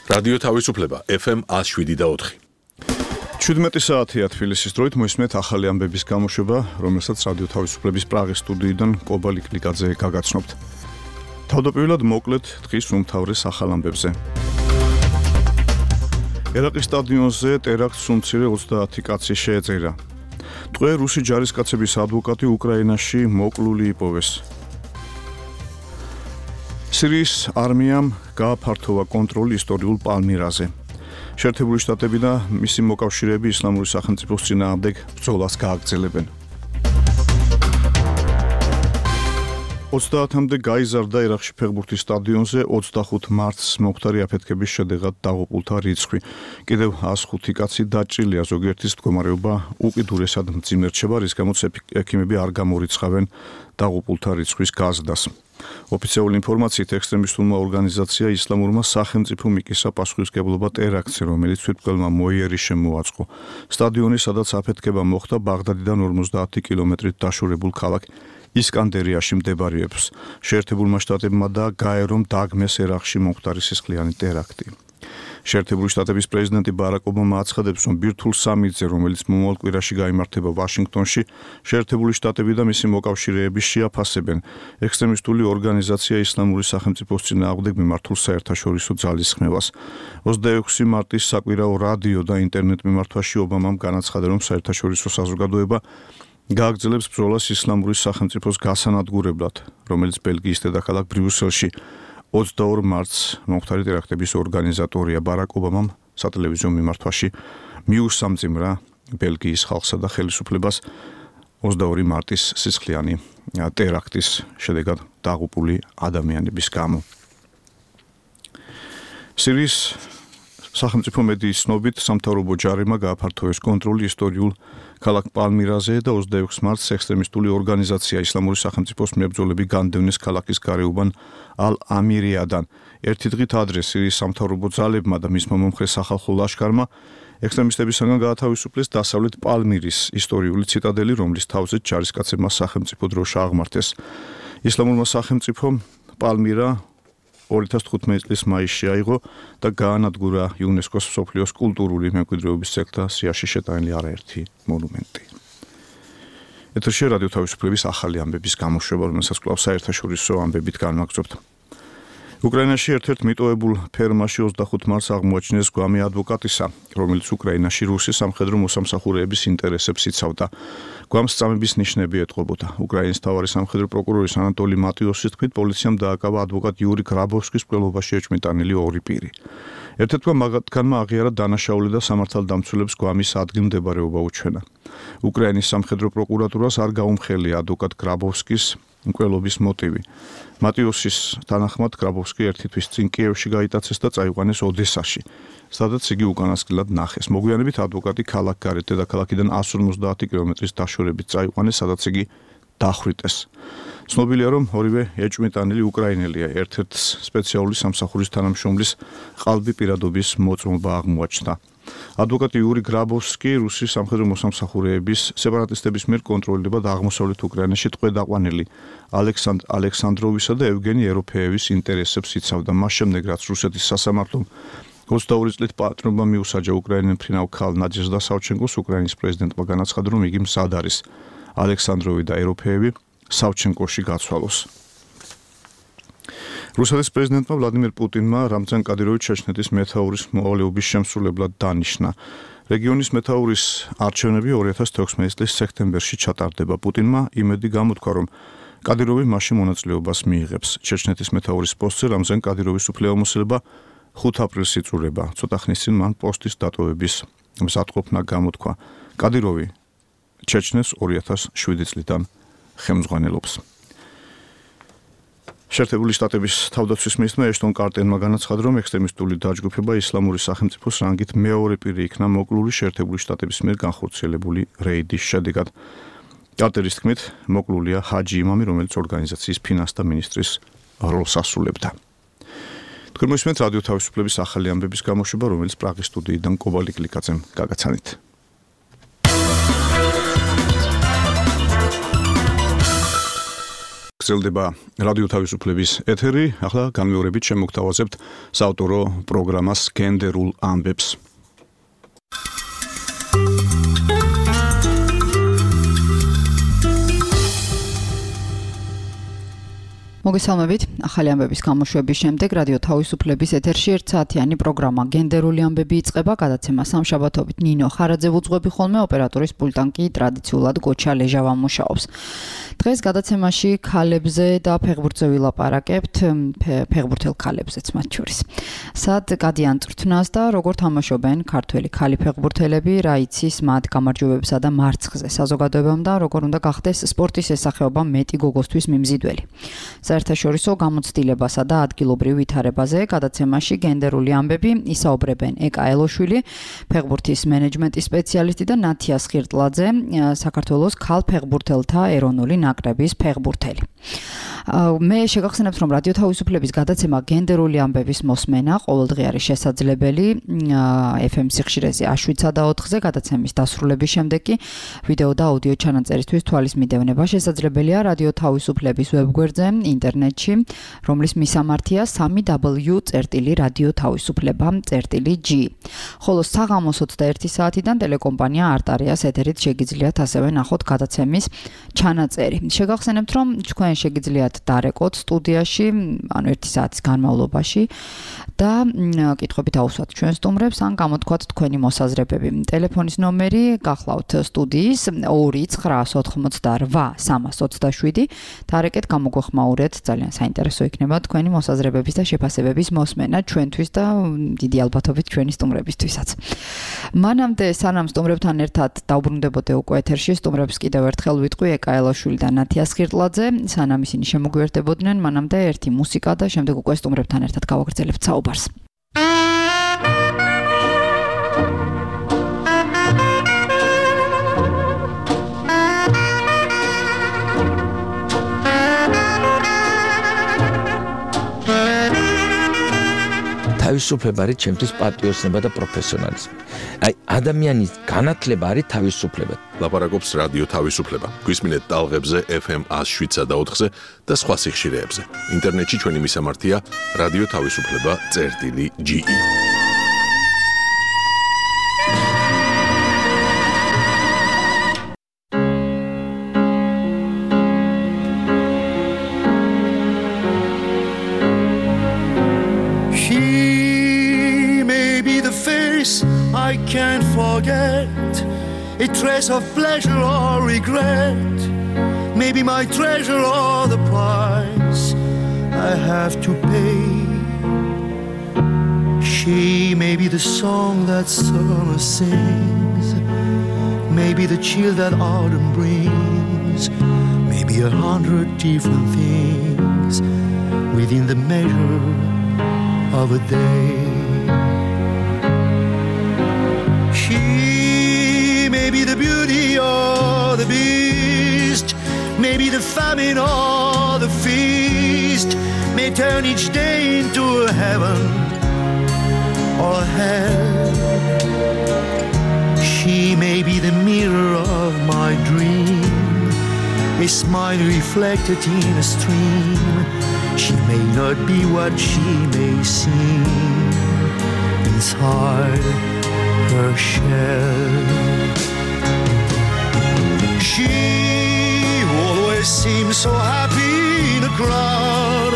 რადიო თავისუფლება FM 107.4. 17 საათია თბილისის დროით მოისმენთ ახალი ამბების გამოშვება, რომელსაც რადიო თავისუფლების პრაღის სტუდიიდან კობა ლიკლიკაძე გაგაცნობთ. თავდაპირველად მოკლედ დღის უმთავრეს ახალ ამბებზე. ერაყის სტადიონზე ტერაქტს უმცირე 30 კაცი შეეწირა. ტყვე რუსი ჯარისკაცების ადვოკატი უკრაინაში მოკლული იპოვეს. სირიის არმიამ გააფართოვა კონტროლი ისტორიულ პალმირაზე. შეერთებული შტატები და მისი მოკავშირეები ისლამური სახელმწიფოს წინააღმდეგ ბრძოლას გააგრძელებენ. 30-მდე გაიზარდა ერაყში ფეხბურთის სტადიონზე 25 მარტს მომხდარი აფეთქების შედეგად დაღუპულთა რიცხვი. კიდევ 105 კაცი დაჭრილია, ზოგიერთის მდგომარეობა უკიდურესად მძიმე რჩება, რის გამოც ექიმები არ გამორიცხავენ დაღუპულთა რიცხვის გაზრდას. ოფიციალური ინფორმაციით ექსტრემისტულმა ორგანიზაცია ისლამურმა სახელმწიფომ იკისა პასუხისმგებლობა ტერაქტზე, რომელიც თვითმკვლელმა მოიერიშემ მოაწყო. სტადიონი, სადაც აფეთქება მოხდა, ბაღდადიდან 50 კილომეტრით დაშორებულ ქალაქ ისკანდერიაში მდებარეობს. შეერთებულმა შტატებმა და გაერომ დაგმეს ერაყში მომხდარი სისხლიანი ტერაქტი. შეერთებული შტატების პრეზიდენტი ბარაკ ობამა აცხადებს, რომ ბირთვულ სამიტზე, რომელიც მომავალ კვირაში გაიმართება ვაშინგტონში, შეერთებული შტატები და მისი მოკავშირეები შეაფასებენ ექსტრემისტული ორგანიზაცია ისლამური სახელმწიფოს წინააღმდეგ მიმართულ საერთაშორისო ძალისხმევას. 26 მარტის საკვირაო რადიო და ინტერნეტ მიმართვაში ობამამ განაცხადა, რომ საერთაშორისო საზოგადოება გააგრძელებს ბრძოლას ისლამური სახელმწიფოს გასანადგურებლად, რომელიც ბელგიის დედაქალაქ ბრიუსელში 22 მარტს მომხდარი ტერაქტების ორგანიზატორია. ბარაკ ობამამ სატელევიზიო მიმართვაში მიუსამძიმრა ბელგიის ხალხსა და ხელისუფლებას 22 მარტის სისხლიანი ტერაქტის შედეგად დაღუპული ადამიანების გამო. სირიის სახელმწიფო მედიის ცნობით, სამთავრობო ჯარებმა გააფართოვეს კონტროლი ისტორიულ ქალაქ პალმირაზე და 26 მარტს ექსტრემისტული ორგანიზაცია ისლამური სახელმწიფოს მებრძოლები განდევნეს ქალაქის გარეუბან ალ-ამირიადან. ერთი დღით ადრე სირიის სამთავრობო ძალებმა და მისმა მომხრე სახალხო ლაშქარმა ექსტრემისტებისაგან გაათავისუფლეს დასავლეთ პალმირის ისტორიული ციტადელი, რომლის თავზეც ჯარისკაცებმა სახელმწიფო დროშა აღმართეს. ისლამურმა სახელმწიფომ პალმირა 2015 წლის მაისში აიღო და გაანადგურა იუნესკოს მსოფლიოს კულტურული მემკვიდრეობის ძეგლთა სიაში შეტანილი არაერთი მონუმენტი. ეთერში რადიო თავისუფლების ახალი ამბების გამოშვება, რომელსაც კვლავ საერთაშორისო ამბებით განვაგრძობთ. უკრაინაში ერთ-ერთ მიტოვებულ ფერმაში 25 მარტს აღმოაჩინეს გვამი ადვოკატისა, რომელიც უკრაინაში რუსი სამხედრო მოსამსახურეების ინტერესებს იცავდა. გვამს წამების ნიშნები ეტყობოდა. უკრაინის მთავარი სამხედრო პროკურორის ანატოლი მატიოსის თქმით, პოლიციამ დააკავა ადვოკატ იური გრაბოვსკის მკვლელობაში ეჭვმიტანილი ორი პირი. ერთ-ერთმა მათგანმა აღიარა დანაშაული და სამართალდამცველებს გვამის ადგილმდებარეობა უჩვენა. უკრაინის სამხედრო პროკურატურას არ გაუმხელია ადვოკატ გრაბოვსკის მკვლელობის მოტივი. მატიოსის თანახმად გრაბოვსკი ერთი თვის წინ კიევში გაიტაცეს და წაიყვანეს ოდესაში, სადაც იგი უკანასკნელად ნახეს. მოგვიანებით ადვოკატი ქალაქგარეთ დედაქალაქიდან 150 კილომეტრის დაშორებით წაიყვანეს, სადაც იგი დახვრიტეს. ცნობილია, რომ ორივე ეჭვმიტანილი უკრაინელია. ერთ-ერთ სპეციალური სამსახურის თანამშრომლის ყალბი პირადობის მოწმობა აღმოაჩნდა. ადვოკატი იური გრაბოვსკი რუსი სამხედრო მოსამსახურეების სეპარატისტების მიერ კონტროლირება და აღმოსავლეთ უკრაინაში ტყვე დაყვანილი ალექსანდროვისა და ევგენი ეროფეევის ინტერესებს იცავდა. მას შემდეგ, რაც რუსეთის სასამართლომ 22 წლით პატრონობა მიუსაჯა უკრაინელ მფრინავ ქალ ნადეჟდა სავჩენკოს, უკრაინის პრეზიდენტმა განაცხადა, რომ იგი მზად არის ალექსანდროვი და ეროფეევი სავჩენკოში გაცვალოს. რუსეთის პრეზიდენტმა ვლადიმერ პუტინმა რამზან კადიროვი ჩეჩნეთის მეთაურის მოვალეობის შემსრულებლად დანიშნა. რეგიონის მეთაურის არჩევნები 2016 წლის სექტემბერში ჩატარდება. პუტინმა იმედი გამოთქვა, რომ კადიროვი მასში მონაწილეობას მიიღებს. ჩეჩნეთის მეთაურის პოსტზე რამზან კადიროვის უფლებამოსილება 5 აპრილს იწურება. ცოტა ხნის წინ მან პოსტის დატოვების მზადყოფნა გამოთქვა. კადიროვი ჩეჩნეთს 2007 წლიდან ხელმძღვანელობს. შეერთებული შტატების თავდაცვის მინისტრმა ეშტონ კარტერმა განაცხადა, რომ ექსტრემისტული დაჯგუფება ისლამური სახელმწიფოს რანგით მეორე პირი იქნა მოკლული შეერთებული შტატების მიერ განხორციელებული რეიდის შედეგად. კარტერის თქმით, მოკლულია ჰაჯი იმამი, რომელიც ორგანიზაციის ფინანსთა მინისტრის როლს ასრულებდა. თქვენ მოისმენთ რადიო თავისუფლების ახალი ამბების გამოშვება, რომელიც პრაღის სტუდიიდან კობა ლიკლიკაძემ გაგაცანით. გრძელდება რადიო თავისუფლების ეთერი. ახლა განმეორებით შემოგთავაზებთ საავტორო პროგრამას გენდერულ ამბებს. მოგესალმებით. ახალი ამბების გამოშვების შემდეგ რადიო თავისუფლების ეთერში 1 საათიანი პროგრამა გენდერული ამბები იწყება. გადაცემა სამშაბათობით ნინო ხარაძე ვუძღვები ხოლმე, ოპერატორის პულტან კი ტრადიციულად გოჩა ლეჟავა მუშაობს. დღეს გადაცემაში ქალებზე და ფეხბურთზე ვილაპარაკებთ, ფეხბურთელ ქალებზეც მათ შორის. სად გადიან წვრთნას და როგორ თამაშობენ ქართველი ქალი ფეხბურთელები, რა იცის მათ გამარჯვებებსა და მარცხზე საზოგადოებამ და როგორ უნდა გახდეს სპორტის ესახეობა მეტი გოგოსთვის მიმზიდველი. საერთაშორისო გამოცდილებასა და ადგილობრივ ვითარებაზე გადაცემაში გენდერული ამბები ისაუბრებენ ეკა ელოშვილი, ფეხბურთის მენეჯმენტის სპეციალისტი და ნათია სხირტლაძე, საქართველოს ქალ ფეხბურთელთა ეროვნული ნაკრების ფეხბურთელი. მე შეგახსენებთ, რომ რადიო თავისუფლების გადაცემა გენდერული ამბების მოსმენა ყოველდღე არის შესაძლებელი FM სიხშირეზე 7-4-ზე გადაცემის დასრულების შემდეგ კი ვიდეო და აუდიო ჩანაწერისთვის თვალის მიდევნება შესაძლებელია რადიო თავისუფლების ვებგვერდზე ინტერნეტში, რომლის მისამართია www.radiotavisufleba.g. ხოლო საღამოს 21 საათიდან ტელეკომპანია არტარიას ეთერით შეგიძლიათ ასევე ნახოთ გადაცემის ჩანაწერი. შეგახსენებთ, რომ თქვენ შეგიძლიათ დარეკოთ სტუდიაში, ანუ 1 საათის განმავლობაში და კითხვებით აუსვათ ჩვენ სტუმრებს ან გამოთქვათ თქვენი მოსაზრებები. ტელეფონის ნომერი გახლავთ სტუდიის 2-988-327. დარეკეთ, გამოგვეხმაურეთ, ძალიან საინტერესო იქნება თქვენი მოსაზრებების და შეფასებების მოსმენა ჩვენთვის და დიდი ალბათობით ჩვენი სტუმრებისთვისაც. მანამდე სანამ სტუმრებთან ერთად დავბრუნდებოდე უკვე ეთერში, სტუმრებს კიდევ ერთხელ ვიტყვი ეკა ელოშვილი და ნათია სხირტლაძე, სანამ ისინი შემოგვიერთებოდნენ, მანამდე ერთი მუსიკა და შემდეგ უკვე სტუმრებთან ერთად გავაგრძელებთ საუბარს. თავისუფლება არის ჩემთვის პატრიოტიზმი და პროფესიონალიზმი. აი, ადამიანის განათლება არის თავისუფლება. ლაპარაკობს რადიო თავისუფლება. გვისმინეთ ტალღებზე FM 107.4-ზე და სხვა სიხშირეებზე. ინტერნეტში ჩვენი მისამართია radiotavisufleba.ge. I can't forget a trace of pleasure or regret. Maybe my treasure or the price I have to pay. She may be the song that summer sings, maybe the chill that autumn brings, maybe 100 different things within the measure of a day. She may be the beauty or the beast, maybe the famine or the feast, may turn each day into a heaven or a hell. She may be the mirror of my dream, a smile reflected in a stream. She may not be what she may seem inside her shell. She always seems so happy in a crowd,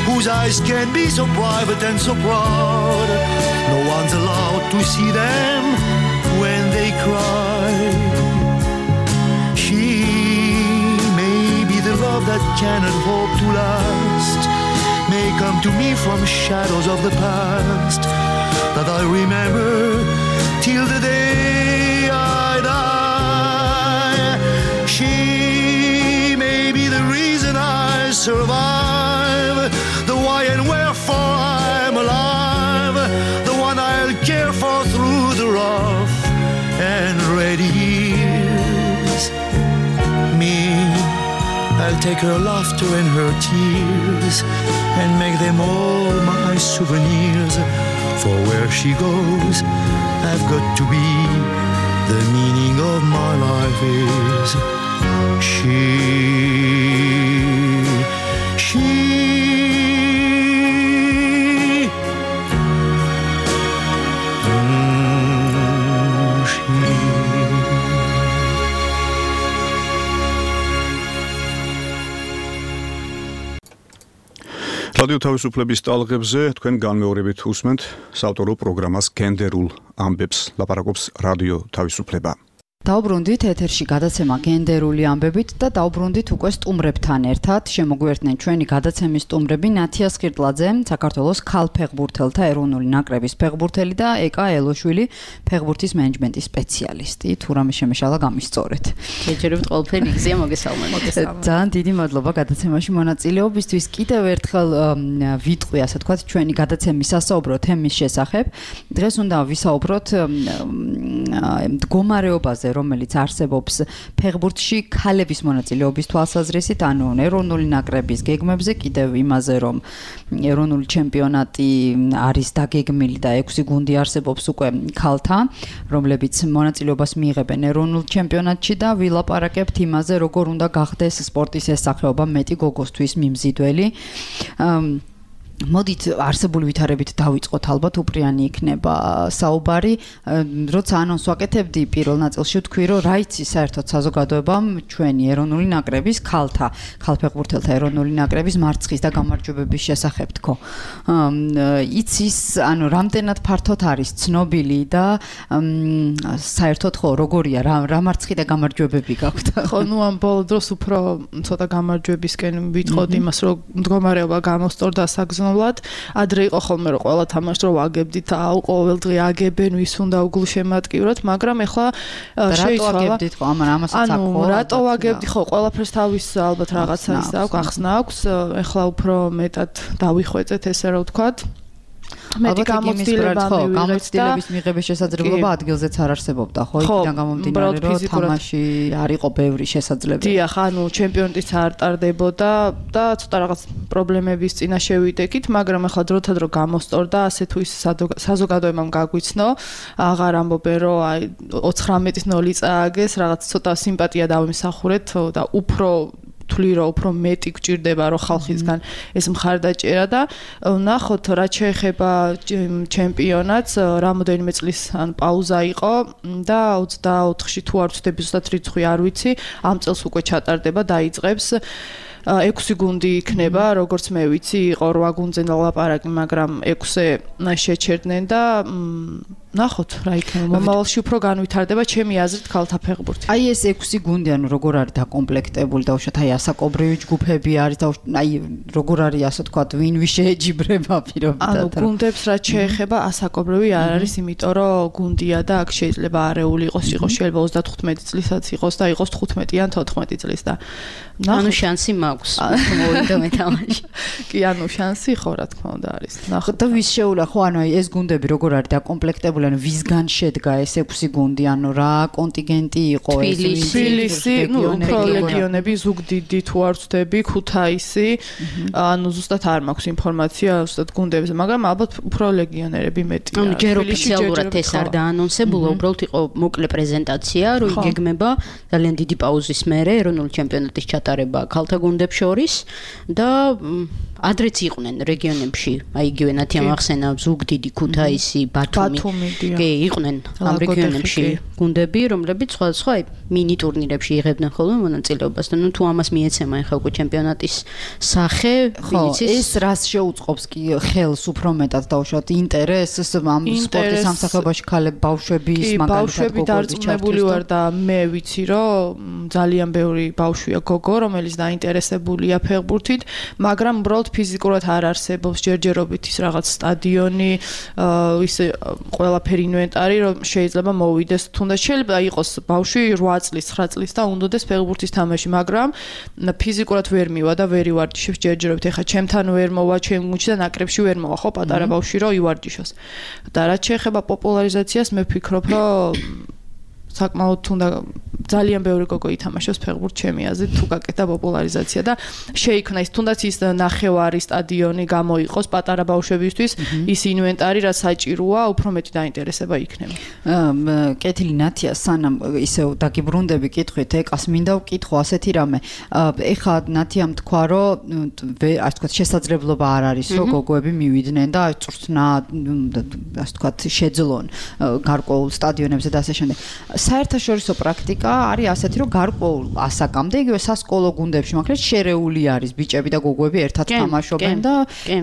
whose eyes can be so private and so proud. No one's allowed to see them when they cry. She may be the love that cannot hope to last, may come to me from shadows of the past that I remember till the day I die. She may be the reason I survive, the why and wherefore I'm alive, the one I'll care for through the rough and ready years. Me, I'll take her laughter and her tears and make them all my souvenirs. For where she goes, I've got to be. The meaning of my life is she. რადიო თავისუფლების ტალღებზე თქვენ განმეორებით უსმენთ საავტორო პროგრამას გენდერულ ამბებს ლაპარაკობს რადიო თავისუფლება. დაუბრუნდით ეთერში გადაცემა გენდერული ამბებით და დაუბრუნდით უკვე სტუმრებთან ერთად. შემოგვიერთდნენ ჩვენი გადაცემის სტუმრები ნათია სხირტლაძე, საქართველოს ქალფეხბურთელთა ეროვნული ნაკრების ფეხბურთელი და ეკა ელოშვილი, ფეხბურთის მენეჯმენტის სპეციალისტი. თუ რამე შემეშალა გამისწორეთ. გეჯერებთ ყველაფერი იგზია მოგესალმებით. ძალიან დიდი მადლობა გადაცემაში მონაწილეობისთვის. კიდევ ერთხელ ვიტყვი, ასე ვთქვათ, ჩვენი გადაცემის სასაუბრო თემის შესახებ. დღეს უნდა ვისაუბროთ მდგომარეობაზე, რომელიც არსებობს ფეხბურთში ქალების მონაწილეობის თვალსაზრისით, ანუ ეროვნული ნაკრების გეგმებზე, კიდევ იმაზე, რომ ეროვნული ჩემპიონატი არის დაგეგმილი და 6 გუნდი არსებობს უკვე ქალთა, რომლებიც მონაწილეობას მიიღებენ ეროვნულ ჩემპიონატში და ვილაპარაკებთ იმაზე, როგორ უნდა გახდეს სპორტის ეს სახეობა მეტი გოგოსთვის მიმზიდველი. მოდით არსებული ვითარებით დავიწყოთ, ალბათ უპრიანი იქნება საუბარი. როცა ანონს ვაკეთებდი პირველ ნაწილში ვთქვი, რომ რა იცი საერთოდ საზოგადოებამ ჩვენი ეროვნული ნაკრების ქალფეხბურთელთა ეროვნული ნაკრების მარცხის და გამარჯვებების შესახებ თქო. იცის, ანუ რამდენად ფართოდ არის ცნობილი და საერთოდ ხო როგორია, რა მარცხი და გამარჯვებები გაქვთ? ხო, ამ ბოლო დროს უფრო ცოტა გამარჯვებისკენ ვიტყოდი იმას, რომ მდგომარეობა გამოსწორდა საგზნობლად. ადრე იყო ხოლმე რომ ყველა თამაშს რო ვაგებდით, ყოველ დღე აგებენ, ვის უნდა უგულშემატკივროთ, მაგრამ ეხლა შეიცვალა. რატო აგებდით ხო? ამასაც აქვს. ანუ რატო ვაგებდი ხო? ყველაფერს თავის ალბათ რაღაცა ის აქვს, ახსნა აქვს. ეხლა უფრო მეტად დავიხვეწეთ, ესე რომ ვთქვათ. მეტი გამოცდილების მიღების შესაძლებლობა ადგილზეც არ არსებობდა, ხო? იქიდან გამომდინარე, რომ თამაში არ იყო ბევრი შესაძლებელი. დიახ, ანუ ჩემპიონატიც არ ტარდებოდა და ცოტა რაღაც პრობლემების წინა შევიდექით, მაგრამ ახლა დროთა დრო გამოსწორდა, ასე თუ ის საზოგადოებამ გაგვიცნო, აღარ ამბობენ, რომ აი 19-0 წააგეს, რაღაც ცოტა სიმპათია დავიმსახურეთ და უფრო თვლი რომ უფრო მეტი გჭირდება რომ ხალხისგან ეს მხარდაჭერა და ნახოთ რა შეეხება ჩემპიონატს რამოდენიმე წლის ან პაუზა იყო და 24-ში თუ არ ვცდები ზუსტად რიცხვი არ ვიცი ამ წელს უკვე ჩატარდება დაიწყებს 6 გუნდი იქნება როგორც მე ვიცი იყო 8 გუნდზე ლაპარაკი მაგრამ 6-ე შეჩერდნენ და ნახოთ რა იქნება მომავალში უფრო განვითარდება ჩემი აზრით ქალთა ფეხბურთი. აი ეს 6 გუნდი ანუ როგორ არის დაკომპლექტებული და უშოთ აი ასაკობრივი ჯგუფები არის და აი როგორ არის ასე თქვა ვინ შეეჯიბრება პირობითად. ანუ გუნდებს რაც შეეხება ასაკობრივი არ არის იმიტომ რომ გუნდია და აქ შეიძლება არეული იყოს შეიძლება 35 წლისაც იყოს და იყოს 15 ან 14 წლის და ანუ შანსი მაქვს მოვიდა მე თამაში. კი ანუ შანსი ხო რა თქმა უნდა არის. ნახოთ და ვის შეულა ხო ანუ აი ეს გუნდები როგორ არის დაკომპლექტებული ანუ ვისგან შედგა ეს 6 გუნდი ანუ რა კონტინგენტი იყო ეს თბილისი ნუ უფრო ლეგიონები ზუგდიდი თუ არ ვცდები ქუთაისი ანუ ზუსტად არ მაქვს ინფორმაცია ზუსტად გუნდებზე მაგრამ ალბათ უფრო ლეგიონერები მეტია ანუ ჯერ ოფიციალურად ეს არ დაანონსებულა უბრალოდ იყო მოკლე პრეზენტაცია რომ იგეგმება ძალიან დიდი პაუზის მერე ეროვნული ჩემპიონატის ჩატარება ქალთა გუნდებს შორის და ადრეც იყვნენ რეგიონებში აი იგივე ნათია ახსენა ზუგდიდი ქუთაისი ბათუმი კი იყვნენ ამ რეგიონებში გუნდები რომლებიც სხვადასხვა მინი ტურნირებში იღებდნენ ხოლმე მონაწილეობას და ნუ თუ ამას მიეცემა ახლა უკვე ჩემპიონატის სახე ეს რას შეუწყობს კი ხელს უფრო მეტად დაუშვათ ინტერესს ამ სპორტის სამსახიობაში ბავშვების მაგალითად ბავშვები დარწმუნებული ვარ და მე ვიცი რომ ძალიან ბევრი ბავშვია გოგო რომელიც დაინტერესებულია ფეხბურთით მაგრამ უბრალოდ ფიზიკურად არ არსებობს ჯერჯერობით ის რაღაც სტადიონი ის ყველაფერი ინვენტარი რომ შეიძლება მოვიდეს თუნდაც შეიძლება იყოს ბავშვი 8 წლის 9 წლის და უნდადეს ფეხბურთის თამაში მაგრამ ფიზიკურად ვერ მივა და ვერ ივარჯიშებს ჯერჯერობით ეხა ჩემთან ვერ მოვა ჩემ გუნდში და ნაკრებში ვერ მოვა ხო პატარა ბავშვი რომ ივარჯიშოს და რაც შეეხება პოპულარიზაციას მე ვფიქრობ რომ საკმაოდ თუნდა ძალიან ბევრი გოგო ითამაშოს ფეხბურთს ჩემი აზრით თუ გაკეთა პოპულარიზაცია და შეიქმნა ის თუნდაც ის ნახევარი სტადიონი გამოიყოს პატარა ბავშვებისთვის ის ინვენტარი რაც საჭიროა უფრო მეტი დაინტერესება იქნება. კეთილი ნათია სანამ ისევ დაგიბრუნდები კითხვით ეკას მინდა ვკითხო ასეთი რამე ეხა ნათიამ თქვა რომ ასე თქვა შესაძლებლობა არ არის რომ გოგოები მივიდნენ და წვრთნა ასე თქვა შეძლონ გარკვეულ სტადიონებზე და ასე შემდეგ. საერთაშორისო პრაქტიკა არის ასეთი რომ გარკვეულ ასაკამდე იგივე სასკოლო გუნდებში მაგრამ შერეული არის ბიჭები და გოგოები ერთად თამაშობენ და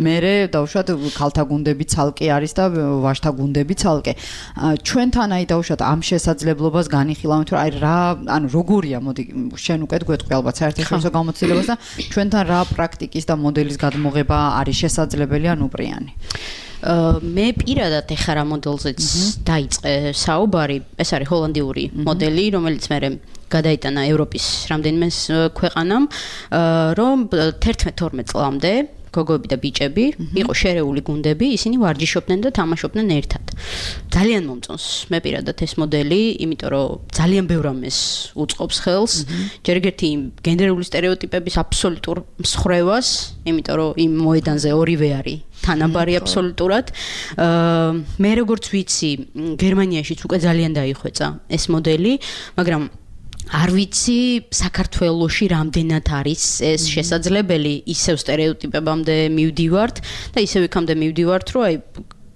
მერე დაუშვათ ქალთა გუნდები ცალკე არის და ვაჟთა გუნდები ცალკე ჩვენთან აი დაუშვათ ამ შესაძლებლობას განიხილავთ რომ აი რა ანუ როგორია მოდი შენ უკვე გვეტყვი ალბათ საერთაშორისო გამოცდილებას და ჩვენთან რა პრაქტიკის და მოდელის გადმოღება არის შესაძლებელი ან უპრიანი მე პირადად ეხლა რა მოდელზეც დაიწყე საუბარი ეს არის ჰოლანდიური მოდელი რომელიც მე გადაიტანა ევროპის რამდენიმე ქვეყანამ რომ 11-12 წლამდე გოგოები და ბიჭები იყო შერეული გუნდები ისინი ვარჯიშობდნენ და თამაშობდნენ ერთად ძალიან მომწონს მე პირადად ეს მოდელი იმიტომ რომ ძალიან ბევრ ამას უწყობს ხელს ჯერ ერთი გენდერული სტერეოტიპების აბსოლუტურ მსხრევას იმიტომ რომ იმ მოედანზე ორივე არის თანაბარი აბსოლუტურად მე როგორც ვიცი გერმანიაშიც უკვე ძალიან დაიხვეწა ეს მოდელი მაგრამ არ ვიცი საქართველოში რამდენად არის ეს შესაძლებელი ისევ სტერეოტიპებამდე მივდივართ და ისევ იქამდე მივდივართ რომ აი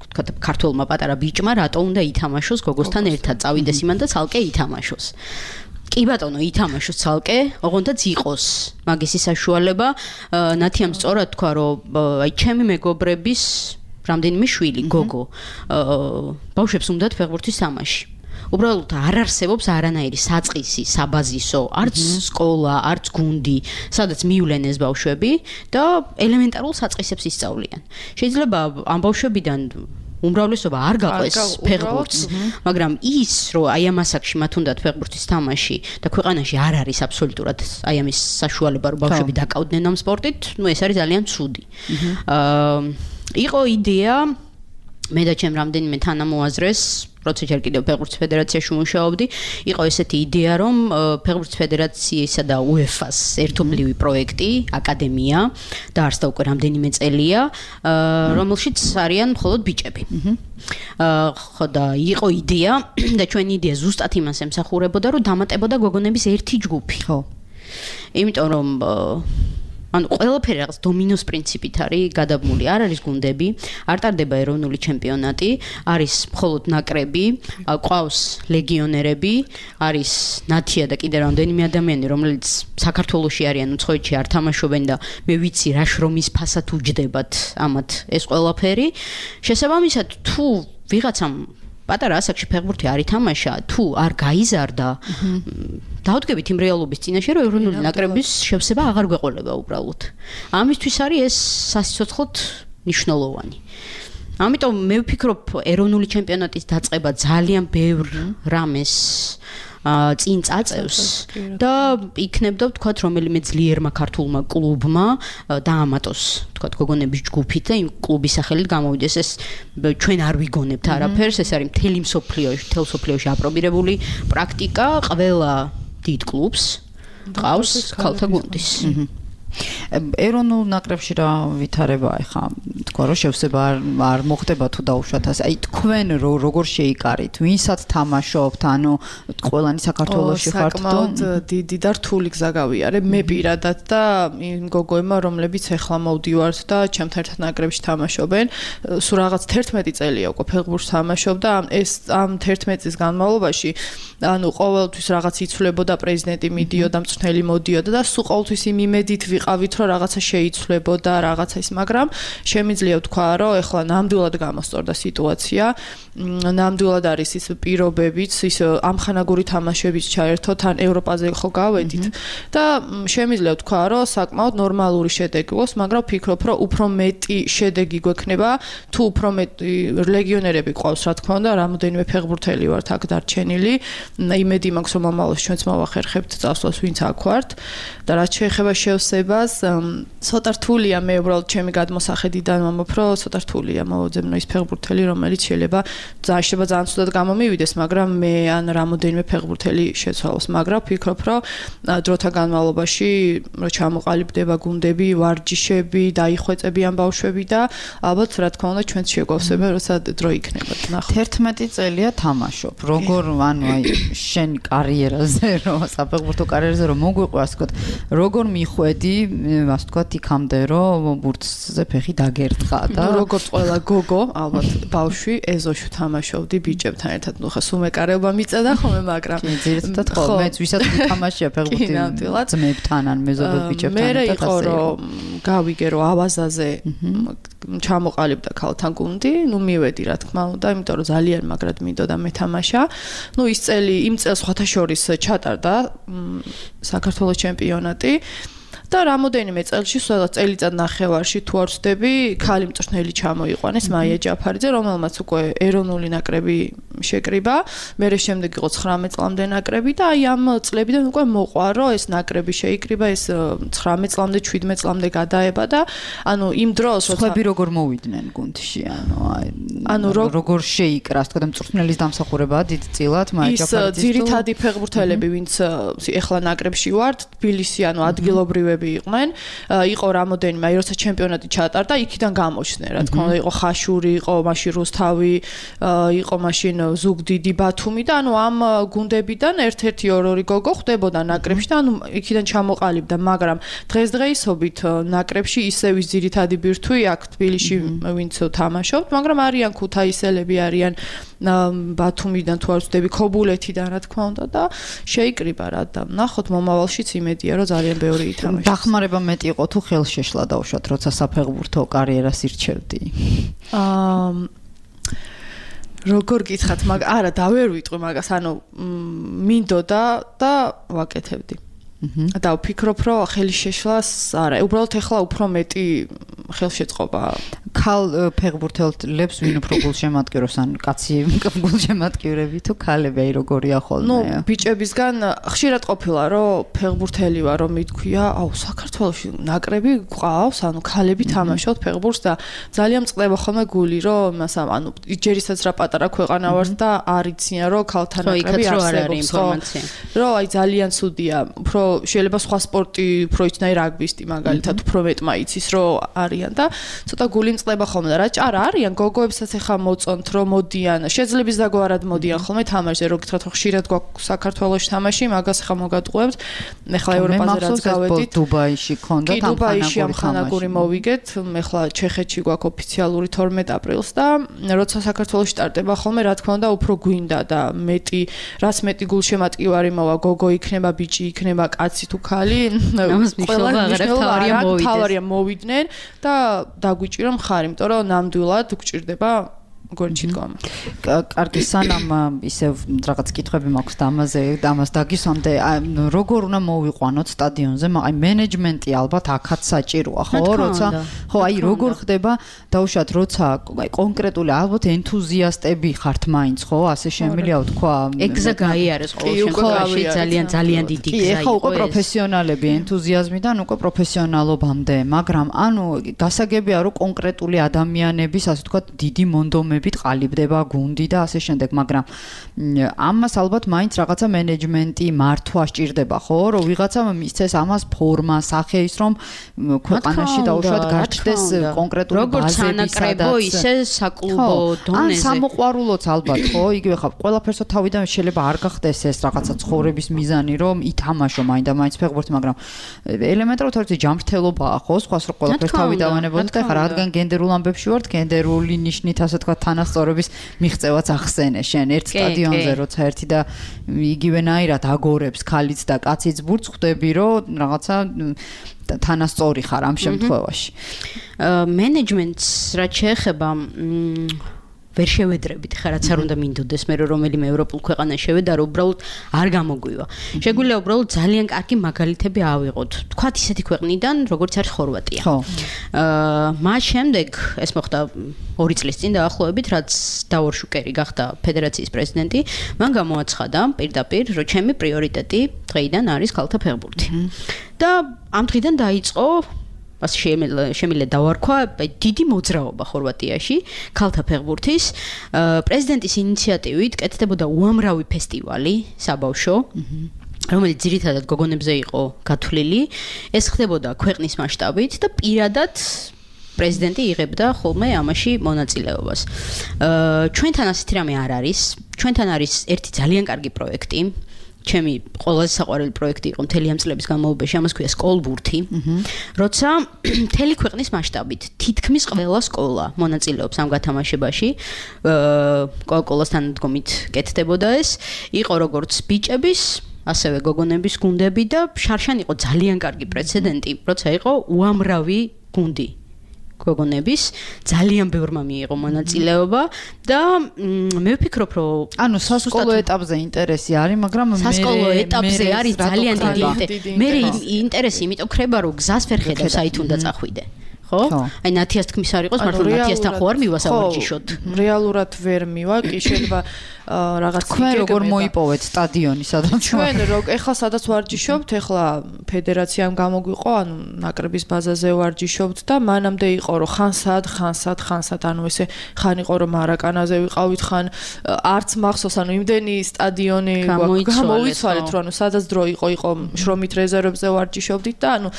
თქვა ქართველმა პატარა ბიჭმა რატო უნდა ითამაშოს გოგოსთან ერთად წავიდეს იმან და ცალკე ითამაშოს კი ბატონო ითამაშოს ცალკე ოღონდაც იყოს მაგისი საშუალება ნათიამ სწორად თქვა რომ აი ჩემი მეგობრების რამდენიმე შვილი გოგო ბავშვებს უნდათ ფეხბურთის თამაში უბრალოდ არ არსებობს არანაირი საწყისი, საბაზისო, არც სკოლა, არც გუნდი, სადაც მივლენ ეს ბავშვები და ელემენტარულ საწყისებს ისწავლიან. შეიძლება ამ ბავშვებიდან უმრავლესობა არ გაყვეს ფეხბურთს, მაგრამ ის, რომ აი ამ ასაკში მათ უნდათ ფეხბურთის თამაში და ქვეყანაში არ არის აბსოლუტურად აი ამის საშუალება, რომ ბავშვები დაკავდნენ ამ სპორტით, ну ეს არის ძალიან ცუდი. იყო იდეა მე და ჩემ რამდენიმე თანამოაზრეს როცა ჯერ კიდევ ფეხბურთის ფედერაციაში მუშაობდი, იყო ესეთი იდეა, რომ ფეხბურთის ფედერაციისა და UEFA-ს ერთობლივი პროექტი, აკადემია, დაარსდა უკვე რამდენიმე წელია, რომელშიც არიან მხოლოდ ბიჭები. ხო და იყო იდეა და ჩვენი იდეა ზუსტად იმას ემსახურებოდა, რომ დამატებოდა გოგონების ერთი ჯგუფი. ხო. იმიტომ რომ ანუ ყველაფერი რაღაც დომინოს პრინციპით არის გადაბმული. არ არის გუნდები, არ ტარდება ეროვნული ჩემპიონატი, არის მხოლოდ ნაკრები, ყავს ლეგიონერები, არის ნათია და კიდე რამდენიმე ადამიანი, რომელიც საქართველოში არიან, უცხოეთში არ თამაშობენ და მე ვიცი რა შრომის ფასად უჯდებათ ამათ ეს ყველაფერი. შესაბამისად, თუ ვიღაცამ პატარა ასაკში ფეხბურთი არ ითამაშა, თუ არ გაიზარდა, დავდგებით იმ რეალობის წინაშე, რომ ეროვნული ნაკრების შევსება აღარ გვეყოლება უბრალოდ. ამისთვის არის ეს სასიცოცხლოდ მნიშვნელოვანი. ამიტომ მე ვფიქრობ, ეროვნული ჩემპიონატის დაწყება ძალიან ბევრ რამეს წინ წაწევს და იქნებდა ვთქვათ რომელიმე ძლიერმა ქართულმა კლუბმა დაამატოს ვთქვათ გოგონების ჯგუფით და იმ კლუბის სახელით გამოვიდეს ეს ჩვენ არ ვიგონებთ არაფერს ეს არის მთელ მსოფლიოში აპრობირებული პრაქტიკა ყველა დიდ კლუბს ყავს ქალთა გუნდის ეროვნულ ნაკრებში რა ვითარებაა ხა თქვა რომ შევსება არ მოხდება თუ დაუშვათ ასე აი თქვენ როგორ შეიკარით ვინსაც თამაშობთ ანუ ყველანი საქართველოში ხართ თუ დიდი და რთული გზა გავიარე მე პირადად და იმ გოგოებმა რომლებიც ეხლა მოვდივართ და ჩემთან ერთად ნაკრებში თამაშობენ სულ რაღაც 11 წელია უკვე ფეხბურთს თამაშობ და ეს ამ 11 წლის განმავლობაში ანუ ყოველთვის რაღაც იცვლებოდა პრეზიდენტი მიდიოდა მწვრთნელი მოდიოდა და სულ ყოველთვის იმ იმედით ვიყავით რომ რაღაცა შეიცვლებოდა რაღაცა ის მაგრამ შემიძლია ვთქვა რომ ეხლა ნამდვილად გამოსწორდა სიტუაცია ნამდვილად არის ის პირობებიც ის ამხანაგური თამაშებიც ჩაერთოთ ან ევროპაზე ხო გავედით და შემიძლია ვთქვა რომ საკმაოდ ნორმალური შედეგი გვაქვს მაგრამ ვფიქრობ რომ უფრო მეტი შედეგი გვექნება თუ უფრო მეტი ლეგიონერები ყავს რა თქმა უნდა რამოდენიმე ფეხბურთელი ვართ აქ დარჩენილი იმედი მაქვს რომ მომავალში ჩვენც მოვახერხებთ წასვლას ვინც აქ ვართ და რაც შეეხება შევსებას ცოტა რთულია მე უბრალოდ ჩემი გადმოსახედიდან მომობ რომ ცოტა რთულია მოვაძებნო ის ფეხბურთელი რომელიც შეიძლება ძალიან ცუდად გამომივიდეს მაგრამ მე ან რამოდენიმე ფეხბურთელი შეცვალოს მაგრამ ვფიქრობ რომ დროთა განმავლობაში რომ ჩამოყალიბდება გუნდები ვარჯიშები დაიხვეწებიან ბავშვები და ალბათ რა თქმა უნდა ჩვენც შეგვავსებენ როცა დრო იქნება ნახოთ 11 წელია თამაშობ როგორ ანუ აი შენ კარიერაზე რომ საფეხბურთო კარიერაზე რომ მოგვიყვე ასე ვთქვათ როგორ მიხვედი ასე ვთქვათ იქამდე რომ ბურთზე ფეხი დაგერტყე აკითხა და როგორც ყველა გოგო, ალბათ ბავშვი ეზოში თამაშობდი ბიჭებთან ერთად. ნუ ხა სუმეკარეობა მიწედა ხოლმე, მაგრამ ძირითადად ხო მეც ვისაც ვთამაშია ფეხბურთი ძმებთან ან მეზობელ ბიჭებთან მე იყო რომ გავიგე რომ ავაზაზე ჩამოყალიბდა ქალთან გუნდი, ნუ მივედი რა თქმა უნდა, იმიტომ რომ ძალიან მაგრად მინდოდა მეთამაშა. ნუ ის წელი იმ წელს სხვათა შორის ჩატარდა საქართველოს ჩემპიონატი. და რამოდენიმე წელში, სადაც წელიწად ნახევარში თუ არ ვცდები, ქალი მწვრთნელი ჩამოიყვანეს მაია ჯაფარიძე, რომელმაც უკვე ეროვნული ნაკრები შეკრიბა, მერე შემდეგ იყო 19 წლამდე ნაკრები და აი ამ წლებიდან უკვე მოყვა, რომ ეს ნაკრები შეიკრიბა, ეს 19 წლამდე, 17 წლამდე გადაება და ანუ იმ დროს სხვები როგორ მოვიდნენ გუნდში, ანუ როგორ შეიკრას, თქო და მწვრთნელის დამსახურებაა დიდწილად მაია ჯაფარიძის. ის ძირითადი ფეხბურთელები, ვინც ეხლა ნაკრებში ვართ, თბილისი, ანუ ადგილობრივები იყვნენ, იყო რამოდენიმე, აი როცა ჩემპიონატი ჩატარდა, იქიდან გამოჩნდნენ, რა თქმა უნდა, იყო ხაშური, იყო მაშინ რუსთავი, იყო მაშინ ზუგდიდი, ბათუმი და ანუ ამ გუნდებიდან ერთ-ერთი ორ-ორი გოგო ხდებოდა ნაკრებში და ანუ იქიდან ჩამოყალიბდა, მაგრამ დღესდღეობით ნაკრებში ისევ ის ძირითადი ბირთვი აქ თბილისში ვინც თამაშობთ, მაგრამ არიან ქუთაისელები, არიან ბათუმიდან თუ არ ვცდები, ქობულეთიდან რა თქმა უნდა და შეიკრიბა რა და ნახოთ მომავალშიც იმედია რომ ძალიან ბევრი ითამაშოს. დახმარება მეტი იყო თუ ხელშეშლა დაუშვათ როცა საფეხბურთო კარიერას ირჩევდი? როგორ გითხათ, მაგრამ არა და ვერ ვიტყვი მაგას, ანუ მინდოდა და ვაკეთებდი. და ვფიქრობ, რომ ხელშეშლას არა, უბრალოდ ეხლა უფრო მეტი ხელშეწყობა. ქალ ფეხბურთელებს ვინ უფრო გულშემატკივრებს, ან კაცი გულშემატკივრები თუ ქალები, აი როგორია ხოლმე? ნუ ბიჭებისგან ხშირად ყოფილა, რომ ფეხბურთელი ვარ, რომ მithქვია, აუ საქართველოში ნაკრები გვყავს, ანუ ქალები თამაშობთ ფეხბურთს და ძალიან მწყდება ხოლმე გული, რომ იმას ანუ ჯერისაც რა პატარა ქვეყანა ვართ და არ იციან, რომ ქალთა ნაკრები არსებობს, ხო? რომ აი ძალიან ცუდია, უფრო შეიძლება სხვა სპორტი უფრო იცნაი რაგბისტი მაგალითად უფრო მეტმა იცის რომ არიან და ცოტა გული მწყდება ხოლმე და რა არა არიან გოგოებსაც ახლა მოწონთ რომ მოდიან შეძლების დაგვარად მოდიან ხოლმე თამაშზე რო გითხრათ რომ ხშირად გვაქვს საქართველოში თამაში მაგას ახლა მოგატყუებთ ახლა ევროპაზე რაც გავედით დუბაიში ქონდა ამხანაგური მოვიგეთ ახლა ჩეხეთში გვაქვს ოფიციალური 12 აპრილს და როცა საქართველოში სტარტება ხოლმე რა თქმა უნდა უფრო გვინდა და მეტი რაც მეტი გულშემატკივარი მოვა გოგო იქნება ბიჭი იქნება კაცი თუ ქალი ყველა თავარია მოვიდნენ და დაგვიჭირა მხარი, იმიტომ რომ ნამდვილად გვჭირდება გორჩი დგომა. კარგი, სანამ ისევ რაღაც კითხვები მაქვს და ამას დაგისვამდე, როგორ უნდა მოვიყვანოთ სტადიონზე, აი მენეჯმენტი ალბათ აქაც საჭიროა, ხო, როცა ხო, აი როგორ ხდება დაუშვათ, როცა აი კონკრეტული ალბათ ენთუზიასტები ხართ მაინც, ხო, ასე შემიძლია ვთქვა. ეგზა გაიარეს ყოველ შემთხვევაში ძალიან დიდი გზა იყო. ხო, უკვე პროფესიონალები ენთუზიაზმიდან უკვე პროფესიონალობამდე, მაგრამ ანუ გასაგებია რომ კონკრეტული ადამიანების, ასე ვთქვა, დიდი მონდომები ყალიბდება გუნდი და ასე შემდეგ, მაგრამ ამას ალბათ მაინც რაღაცა მენეჯმენტი მართვა სჭირდება, ხო, რომ ვიღაცამ მისცეს ამას ფორმა, სახე ის რომ ქვეყანაში დაუშვათ გაჩნდეს კონკრეტული ბაზები, სადაც ისე საკლუბო დონეზე. ან სამოყვარულოც ალბათ, ხო, იგივე ხა ყველაფერსო თავიდან შეიძლება არ გახდეს ეს რაღაცა ცხოვრების მიზანი, რომ ითამაშო მაინდა-მაინც ფეხბურთი, მაგრამ ელემენტარულად არის ჯანმრთელობაა, ხო, სხვას რო ყველაფერს თავი დავანებოდეთ, ხა რადგან გენდერულ ამბებში ვართ, გენდერული ნიშნით ასე თქვა თანასწორობის მიღწევაც ახსენე შენ ერთ სტადიონზე როცა ერთი და იგივენაირად აგორებს ქალიც და კაციც ბურთს ხვდები რომ რაღაცა თანასწორი ხარ ამ შემთხვევაში მენეჯმენტს რაც შეეხება ვერ შევედრებით ხა რაც არ უნდა მინდოდეს მე რომელიმე ევროპულ ქვეყანას შევედა რომ უბრალოდ არ გამოგვივა. შეგვიძლია უბრალოდ ძალიან კარგი მაგალითები ავიღოთ. თქვათ ისეთი ქვეყნიდან როგორც არის ხორვატია. ხო. მას შემდეგ ეს მოხდა 2 წლის წინ დაახლოებით რაც დავორ შუკერი გახდა ფედერაციის პრეზიდენტი, მან გამოაცხადა პირდაპირ რომ ჩემი პრიორიტეტი დღეიდან არის ქალთა ფეხბურთი. და ამ დღიდან დაიწყო ასე შემიძლია დავარქვა დიდი მოძრაობა ხორვატიაში ქალთა ფეხბურთის პრეზიდენტის ინიციატივით კეთდებოდა უამრავი ფესტივალი საბავშვო რომელიც ძირითადად გოგონებზე იყო გათვლილი ეს ხდებოდა ქვეყნის მასშტაბით და პირადად პრეზიდენტი იღებდა ხოლმე ამაში მონაწილეობას ჩვენთან ასეთი რამე არ არის ჩვენთან არის ერთი ძალიან კარგი პროექტი ჩემი ყველაზე საყვარელი პროექტი იყო მთელი ამ წლების განმავლობაში, ამას ქვია სკოლბურთი. როცა მთელი ქვეყნის მასშტაბით თითქმის ყველა სკოლა მონაწილეობს ამ გათამაშებაში, კოკოლას თანადგომით კეთდებოდა ეს, იყო როგორც ბიჭების ასევე გოგონების გუნდები და შარშან იყო ძალიან კარგი პრეცედენტი, როცა იყო უამრავი გუნდი გოგონების, ძალიან ბევრმა მიიღო მონაწილეობა და მე ვფიქრობ, რომ ანუ სასკოლო ეტაპზე ინტერესი არის, მაგრამ სასკოლო ეტაპზე არის ძალიან დიდი. მე ინტერესი იმიტომ ხრება, რომ გზას ვერ ხედავ საით უნდა წახვიდე. ხო? აი ნათიას თქმის არ იყოს, მართლა ნათიასთან ხო არ მივა სავარჯიშოდ. რეალურად ვერ მივა, კი შეიძლება რაღაც თქვენ როგორ მოიპოვეთ სტადიონი სადაც ჩვენ ეხლა სადაც ვარჯიშობთ, ეხლა ფედერაციამ გამოგვიყო, ანუ ნაკრების ბაზაზე ვარჯიშობთ და მანამდე იყო რომ ხანსად, ანუ ესე ხან იყო რომ მარაკანაზე ვიყავით, ხან არც მახსოვს, ანუ იმდენი სტადიონი გამოიცვალეთ, რომ ანუ სადაც დრო იყო შრომით რეზერვებზე ვარჯიშობდით და ანუ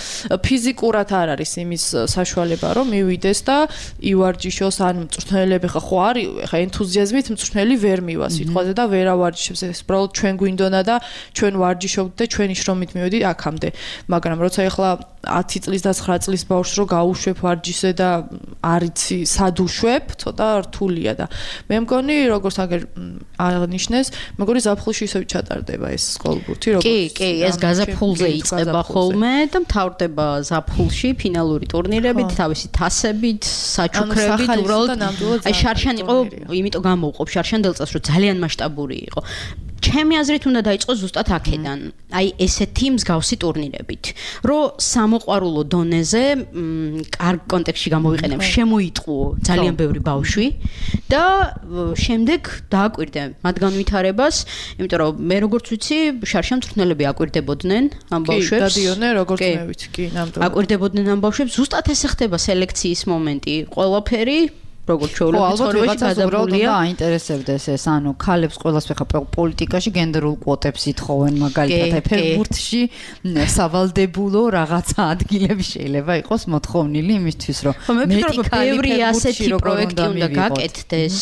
ფიზიკურად არ არის იმის საშუალება რომ მივიდეს და ივარჯიშოს, ან მწვრთნელები ხო არის, ეხლა ენთუზიაზმით მწვრთნელი ვერ მივა სიტყვაზე და ვერ ავარჯიშებს, ეს უბრალოდ ჩვენ გვინდონა და ჩვენ ვარჯიშობთ და ჩვენი შრომით მივედი აქამდე. მაგრამ როცა ეხლა 10 წლის და 9 წლის ბავშვს რო გაუშვებ ვარჯიშზე და არიცი სად უშვებ, ცოტა რთულია და მე მგონი როგორც აღნიშნეს, მეგონი ზაფხულში ისევ ჩატარდება ეს სკოლბურთი, როგორც კი, ეს გაზაფხულზე იწყება ხოლმე და მთავრდება ზაფხულში ფინალური ტურნირებით, თავისი თასებით, საჩუქრებით, უბრალოდ აი შარშან იყო, იმიტომ გამოვყოფ შარშან დელწას, რომ ძალიან მასშტაბური იყო. ჩემი აზრით უნდა დაიწყოს ზუსტად აქედან. აი ესეთი მსგავსი ტურნირებით, რომ სამოყვარულო დონეზე კარგ კონტექსტში გამოვიყენებ, შემოიტყუო ძალიან ბევრი ბავშვი და შემდეგ დააკვირდე მათ განვითარებას, იმიტომ რომ მე როგორც ვიცი, შარშან მწვრთნელები აკვირდებოდნენ ამ ბავშვებს. კი, დადიოდნენ როგორც მე ვიცი, კი, ნამდვილად. აკვირდებოდნენ ამ ბავშვებს, ზუსტად ესე ხდება სელექციის მომენტი, ყველაფერი როგორც ჩვეულებრივ ცხოვრებაში გადაბრუნდა აინტერესებდეს ეს, ანუ ქალებს ყველას ხა პოლიტიკაში გენდერულ კვოტებს ითხოვენ, მაგალითად ფეხბურთში სავალდებულო რაღაცა ადგილები შეიძლება იყოს მოთხოვნილი იმისთვის, რომ მეტი ბევრი ასეთი პროექტი უნდა გაკეთდეს.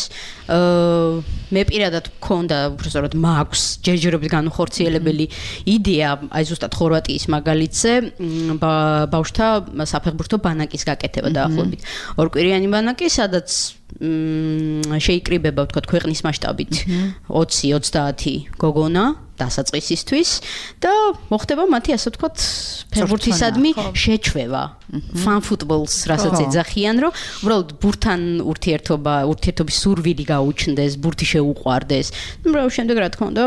მე პირადად მქონდა, უბრალოდ მაქვს ჯერჯერობით განუხორციელებელი იდეა, აი ზუსტად ხორვატიის მაგალითზე, ბავშვთა საფეხბურთო ბანაკის გაკეთება დაახლოებით. ორკვირიანი ბანაკი, სადაც შეიკრიბება ვთქვათ ქვეყნის მასშტაბით 20-30 გოგონა დასაწყისისთვის და მოხდება მათი ასე ვთქვათ ფეხბურთისადმი შეჩვევა ფან ფუტბოლს რასაც ეძახიან, რომ უბრალოდ ბურთთან ურთიერთობის სურვილი გაუჩნდეს, ბურთი შეუყვარდეს. უბრალოდ შემდეგ რა თქმა უნდა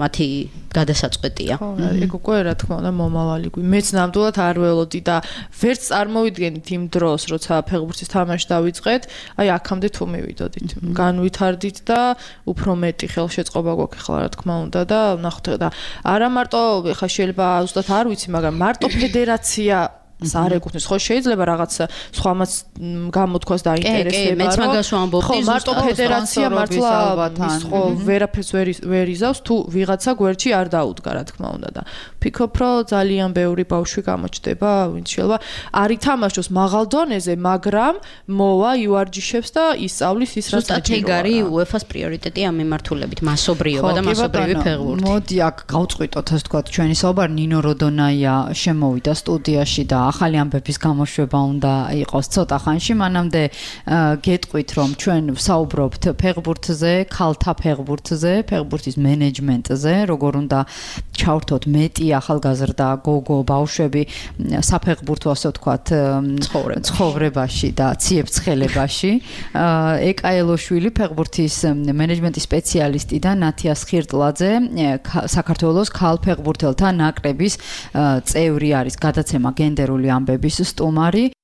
მათი გადასაწყვეტია. ხო, ეგ უკვე რა თქმა უნდა მომავალი. მეც ნამდვილად არ ველოდი და ვერც წარმოვიდგენით იმ დროს, როცა ფეხბურთის თამაში დავიწყეთ, აი აქამდე თუ მივიდოდით. განვითარდით და უფრო მეტი ხელშეწყობა გვაქვს ახლა რა თქმა უნდა და ნახოთ და არა მარტო ხა შეიძლება ზუსტად არ ვიცი, მაგრამ მარტო ფედერაცია არ ეკუთვნის, ხო შეიძლება რაღაც სხვამაც გამოთქვას დაინტერესება, მეც მაგას ვამბობ, ხო მარტო ფედერაცია მართლა ის ხო ვერაფერს ვერ იზავს თუ ვიღაცა გვერდში არ დაუდგა რა თქმა უნდა და ფიქრობ რომ ძალიან ბევრი ბავშვი გამოჩნდება, ვინც შეიძლება არ ითამაშოს მაღალ დონეზე, მაგრამ მოვა ივარჯიშებს და ისწავლის ის რაც ზუსტად ეგ არის UEFA-ს პრიორიტეტი ამ მიმართულებით, მასობრიობა და მასობრივი ფეხბურთი. მოდი აქ გავწყვიტოთ ასე თქვა ჩვენი საუბარი, ნინო როდონაია შემოვიდა სტუდიაში და ახალი ამბების გამოშვება უნდა იყოს ცოტა ხანში, მანამდე გეტყვით რომ ჩვენ ვსაუბრობთ ფეხბურთზე, ქალთა ფეხბურთზე, ფეხბურთის მენეჯმენტზე, როგორ უნდა ჩავრთოთ მეტი ახალგაზრდა გოგო ბავშვები საფეხბურთო ასე ვთქვათ ცხოვრებაში და ციებ-ცხელებაში. ეკაელოშვილი ფეხბურთის მენეჯმენტის სპეციალისტი და ნათიას ხირტლაძე საქართველოს ქალ ფეხბურთელთა ნაკრების წევრი არის, გადაცემა გენდერული ამბების სტუმარი.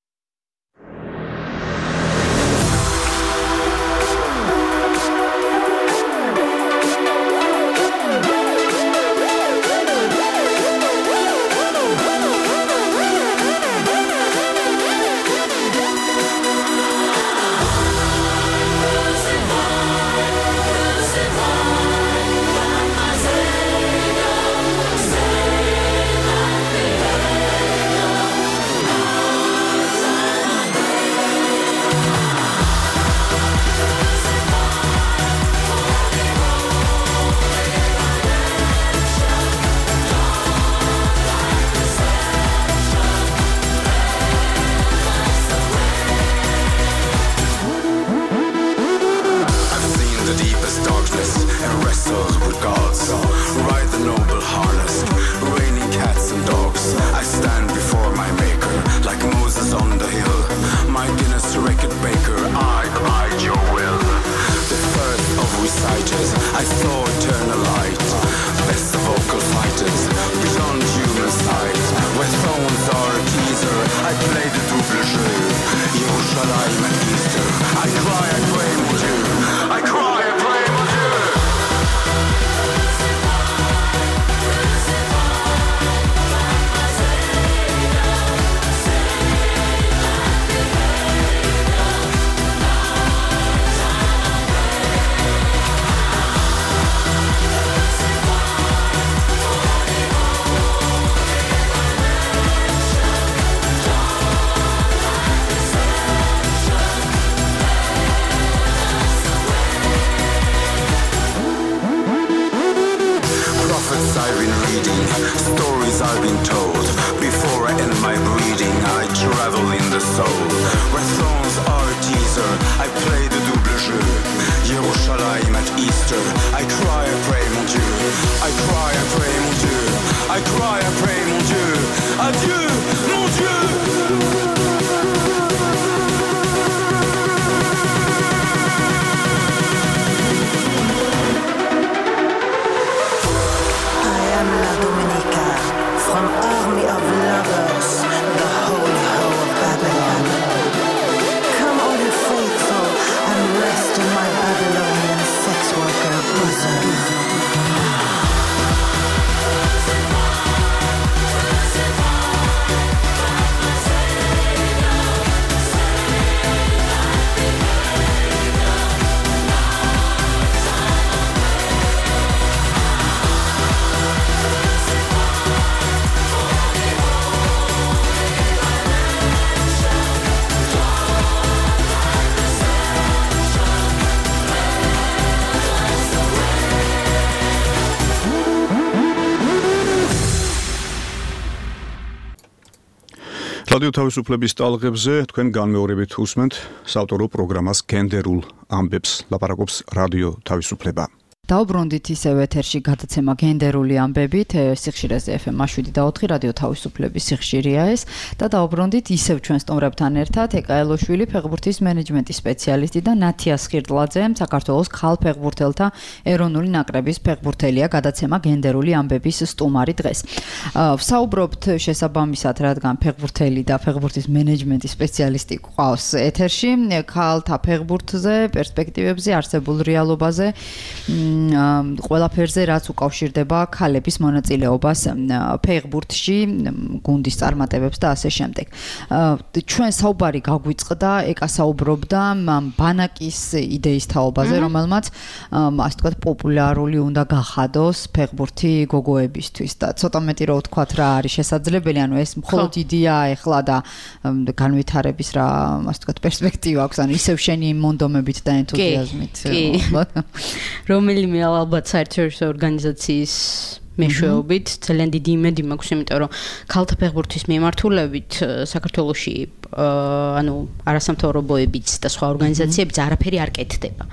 jeu. Yerushalayim at Easter. I cry, I pray, mon Dieu. I cry, I pray, mon Dieu. I've been reading, stories I've been told. Before I end my breathing, I travel in the soul. Where thrones are a teaser, I play the double jeu. Yerushalayim at Easter, I cry, I pray, mon Dieu. I cry, I pray, mon Dieu. I cry, I pray, mon Dieu. Adieu, mon Dieu. From army of lovers, the holy hoe of Babylon. Come all you faithful and rest in my Babylonian sex worker bosom. რადიო თავისუფლების ტალღებზე თქვენ განმეორებით უსმენთ საავტორო პროგრამას გენდერულ ამბებს. ლაპარაკობს რადიო თავისუფლება. დაუბრუნდით ისევ ეთერში გადაცემა გენდერული ამბებით, სიხშირეზე FM 7.4 რადიო თავისუფლების სიხშირეა ეს და დაუბრუნდით ისევ ჩვენ სტუმრებთან ერთად ეკაელოშვილი ფეხბურთის მენეჯმენტის სპეციალისტი და ნათია სხირტლაძე, საქართველოს ქალ ფეხბურთელთა ეროვნული ნაკრების ფეხბურთელია, გადაცემა გენდერული ამბების სტუმარი დღეს. ვსაუბრობთ შესაბამისად, რადგან ფეხბურთელი და ფეხბურთის მენეჯმენტის სპეციალისტი ყავს ეთერში, ქალთა ფეხბურთზე, პერსპექტივებზე, არსებულ რეალობაზე, ყველაფერზე, რაც უკავშირდება ქალების მონაწილეობას ფეხბურთში, გუნდის წარმატებებს და ასე შემდეგ. ჩვენ საუბარი გაგვიწყდა, ეკა საუბრობდა ბანაკის იდეის თაობაზე, რომელმაც ასე ვთქვათ, პოპულარული უნდა გახადოს ფეხბურთი გოგოებისთვის და ცოტა მეტი რო ვთქვათ რა არის შესაძლებელი, ანუ ეს მხოლოდ იდეაა ეხლა და განვითარების რა, ასე ვთქვათ, პერსპექტივა აქვს, ანუ ისევ შენი მონდომებით და ენთუზიაზმით. რომელიმე ალბათ საერთაშორისო ორგანიზაციის მეშვეობით ძალიან დიდი იმედი მაქვს, იმიტომ რომ ქალთა ფეხბურთის მიმართულებით საქართველოში ანუ არასამთავრობოებიც და სხვა ორგანიზაციებიც არაფერი არ კეთდება.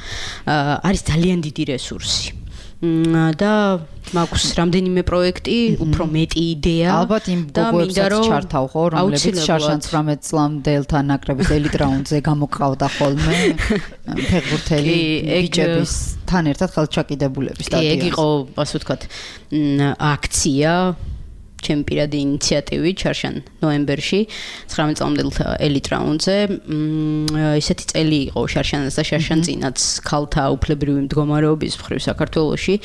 არის ძალიან დიდი რესურსი. და მაქვს რამდენიმე პროექტი, უფრო მეტი იდეა. ალბათ იმ გოგოებსაც ჩართავ ხო, რომლებიც შარშან 19 წლამდელთა ნაკრების ელიტ რაუნდზე გამოკრავდა ხოლმე ფეხბურთელი ბიჭებისთან ერთად ხელჩაკიდებულების სტადიონზე. ეგ იყო, ასე ვთქვათ, აქცია ჩემი პირადი ინიციატივით შარშან ნოემბერში 19 წლამდელთა ელიტ რაუნდზე. ისეთი წელი იყო შარშანას და შარშან წინაც ქალთა უფლებრივი მდგომარეობის მხრივ საქართველოში.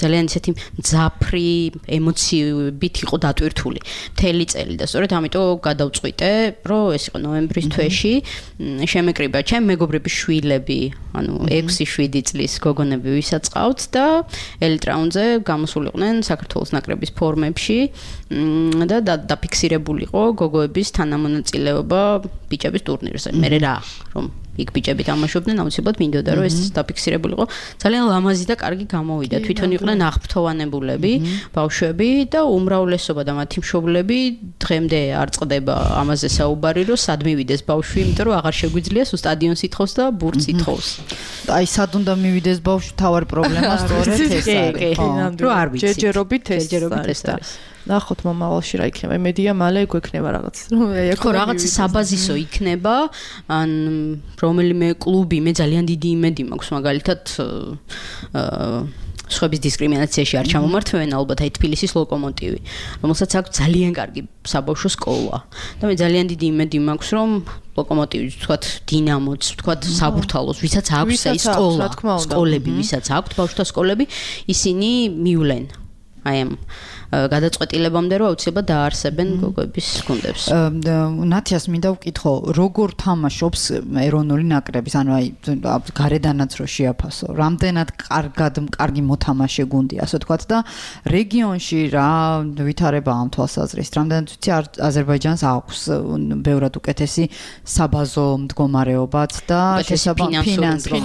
ძალიან ისეთი მძაფრი ემოციებით იყო დატვირთული მთელი წელი და სწორედ ამიტომ გადავწყვიტე, რომ ეს იყო ნოემბრის თვეში შემეკრიბა ჩემი მეგობრების შვილები, ანუ 6-7 წლის გოგონები ვისაც ყავთ და ელიტ რაუნდზე გამოსულიყვნენ საქართველოს ნაკრების ფორმებში და დაფიქსირებულიყო გოგოების თანამონაწილეობა ბიჭების ტურნირზე. მე რა, რომ იქ ბიჭები თამაშობდნენ, აუცილებლად მინდოდა რომ ეს დაფიქსირებულიყო. ძალიან ლამაზი და კარგი გამოვიდა. თვითონ იყვნენ აღფრთოვანებულები, ბავშვები და უმრავლესობა და მათი მშობლები დღემდე არ წყდება ამაზე საუბარი, რომ სად მივიდეს ბავშვი, იმიტომ რომ აღარ შეგვიძლია სულ სტადიონს ითხოვს და ბურთს ითხოვს. აი სად უნდა მივიდეს ბავშვი, თავარი პრობლემა სწორედ ეს არის. რომ არ ვიცი. ჯერჯერობით ეს არის. ნახოთ მომავალში რა იქნება. მედია მალე გვექნება რაღაც. ხო, რაღაც საბაზისო იქნება, ან რომელიმე კლუბი, მე ძალიან დიდი იმედი მაქვს მაგალითად სხვების დისკრიმინაციაში არ ჩამომართვენ, ალბათ აი თბილისის ლოკომოტივი, რომელსაც აქვს ძალიან კარგი საბავშვო სკოლა. და მე ძალიან დიდი იმედი მაქვს, რომ ლოკომოტივის, თქვათ, დინამოც, თქვათ, საბურთალოს, ვისაც აქვს აი სკოლა, სკოლები, ვისაც აქვს ბავშვთა სკოლები, ისინი მივლენ. აი ამ გადაწყვეტილებამდე რომ აუცილებლად დაარსებენ გოგოების გუნდებს. ნათიას მინდა ვკითხო, როგორ თამაშობს ეროვნული ნაკრების, ანუ აი გარედანაც რო შეაფასო, რამდენად კარგი მოთამაშე გუნდია, ასე ვთქვათ და რეგიონში რა ვითარება ამ თვალსაზრისით, რამდენად ვიცი აზერბაიჯანს აქვს ბევრად უკეთესი საბაზო მდგომარეობაც და ფინანსური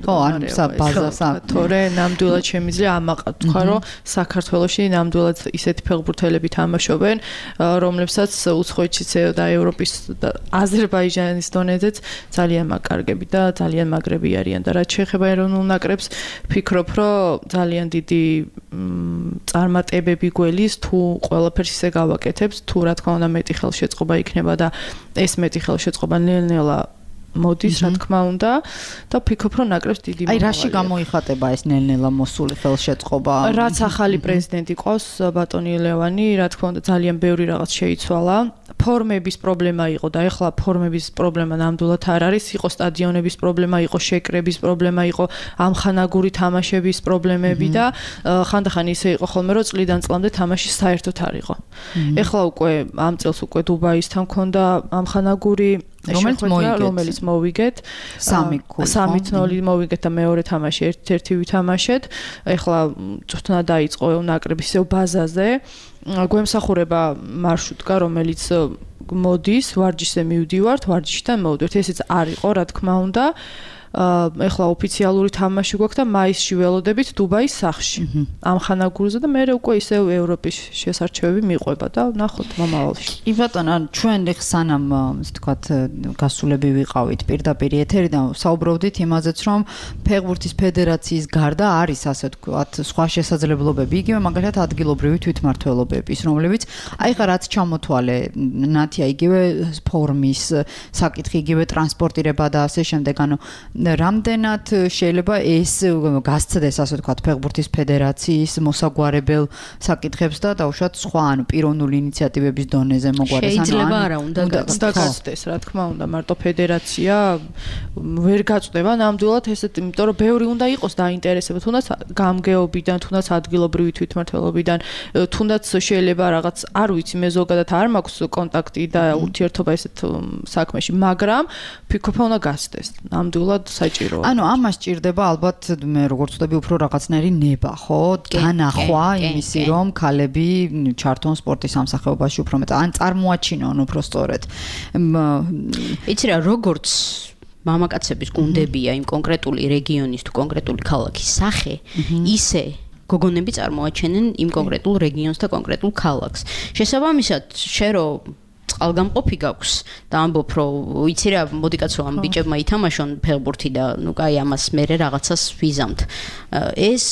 ხო, ანუ ბაზას თორე ნამდვილად შემიძლია ამაყად თქვა, რომ საქართველოში ნამდვილად ისეთი ფეხბურთელები თამაშობენ, რომლებსაც უცხოეთშიც და ევროპის და აზერბაიჯანის დონეზეც ძალიან მაგარგები და ძალიან მაგრები არიან და რაც შეეხება ეროვნულ ნაკრებს, ფიქრობ, რომ ძალიან დიდი წარმატებები გველის თუ ყველაფერს ისე გავაკეთებს, თუ რა თქმა უნდა მეტი ხელშეწყობა იქნება და ეს მეტი ხელშეწყობა ნელ-ნელა მოდის, რა თქმა უნდა და ფიქრობ, რომ ნაკრებს დიდი აი რაში გამოიხატება ეს ნელ-ნელა მოსული ხელშეწყობა? რაც ახალი პრეზიდენტი ყავს, ბატონი ლევანი, რა თქმა უნდა ძალიან ბევრი რაღაც შეიცვალა. ფორმების პრობლემა იყო და ეხლა ფორმების პრობლემა ნამდვილად არ არის, იყო სტადიონების პრობლემა, იყო შეკრების პრობლემა, იყო ამხანაგური თამაშების პრობლემები და ხანდახან ისე იყო ხოლმე, რომ წლიდან წლამდე თამაში საერთოდ არ იყო. ეხლა უკვე ამ წელს უკვე დუბაისთან მქონდა ამხანაგური რომელიც მოვიგეთ 3-0 მოვიგეთ და მეორე თამაში 1-1 ვითამაშეთ. ეხლა წვრთნა დაიწყო ნაკრების ბაზაზე. გვემსახურება მარშრუტკა, რომელიც მოდის, ვარჯიშზე მივდივართ, ვარჯიშიდან მოვდივართ. ესეც არ იყო, რა თქმა უნდა. ეხლა ოფიციალური თამაში გვაქვს და მაისში ველოდებით დუბაის სახლში. ამ ხანაგურზე და მე უკვე ისევ ევროპის შესარჩევები მიყვება და ნახოთ მომავალში. კი ბატონო, ჩვენ სანამ ისე ვთქვათ გასულები ვიყავით პირდაპირ ეთერიდან საუბრობდით იმაზეც, რომ ფეხბურთის ფედერაციის გარდა არის ასე ვთქვათ სხვა შესაძლებლობები, იგივე მაგალითად ადგილობრივი თვითმმართველობების, რომლებიც აი ხა რაც ჩამოთვალე ნათია, იგივე ფორმის საკითხი, იგივე ტრანსპორტირება და ასე შემდეგ, ანუ რამდენად შეიძლება ეს გასცდეს ასე ვთქვათ ფეხბურთის ფედერაციის მოსაგვარებელ საკითხებს და დაუშვათ სხვა ანუ პიროვნული ინიციატივების დონეზე მოგვარეს ანუ შეიძლება არა უნდა გასცდეს რა თქმა უნდა მარტო ფედერაცია ვერ გაწდება ნამდვილად ესეთ იმიტომ რომ ბევრი უნდა იყოს დაინტერესება თუნდაც გამგეობიდან თუნდაც ადგილობრივი თვითმმართველობიდან თუნდაც შეიძლება რაღაც არ ვიცი მე ზოგადად არ მაქვს კონტაქტი და ურთიერთობა ესეთ საქმეში მაგრამ ფიქრობ უნდა გასცდეს ნამდვილად საჭიროა. ანუ ამას ჭირდება ალბათ მე როგორც ვთქვი უფრო რაღაცნაირი ნება, ხო? განახვა იმისი რომ ქალები ჩართონ სპორტის სამსახეობაში უფრო მეტად ან წარმოაჩინონ უფრო სწორედ. იცი რა როგორც მამაკაცების გუნდებია იმ კონკრეტული რეგიონის თუ კონკრეტული ქალაქის სახე, ისე გოგონები წარმოაჩენენ იმ კონკრეტულ რეგიონს და კონკრეტულ ქალაქს. შესაბამისად, შენ რო წყალგამყოფი გაქვს და ამბობ რომ ვიცი რა მოდი კაცო ამ ბიჭებმა ითამაშონ ფეხბურთი და ნუ კაი ამას მე რაღაცას ვიზამთ ეს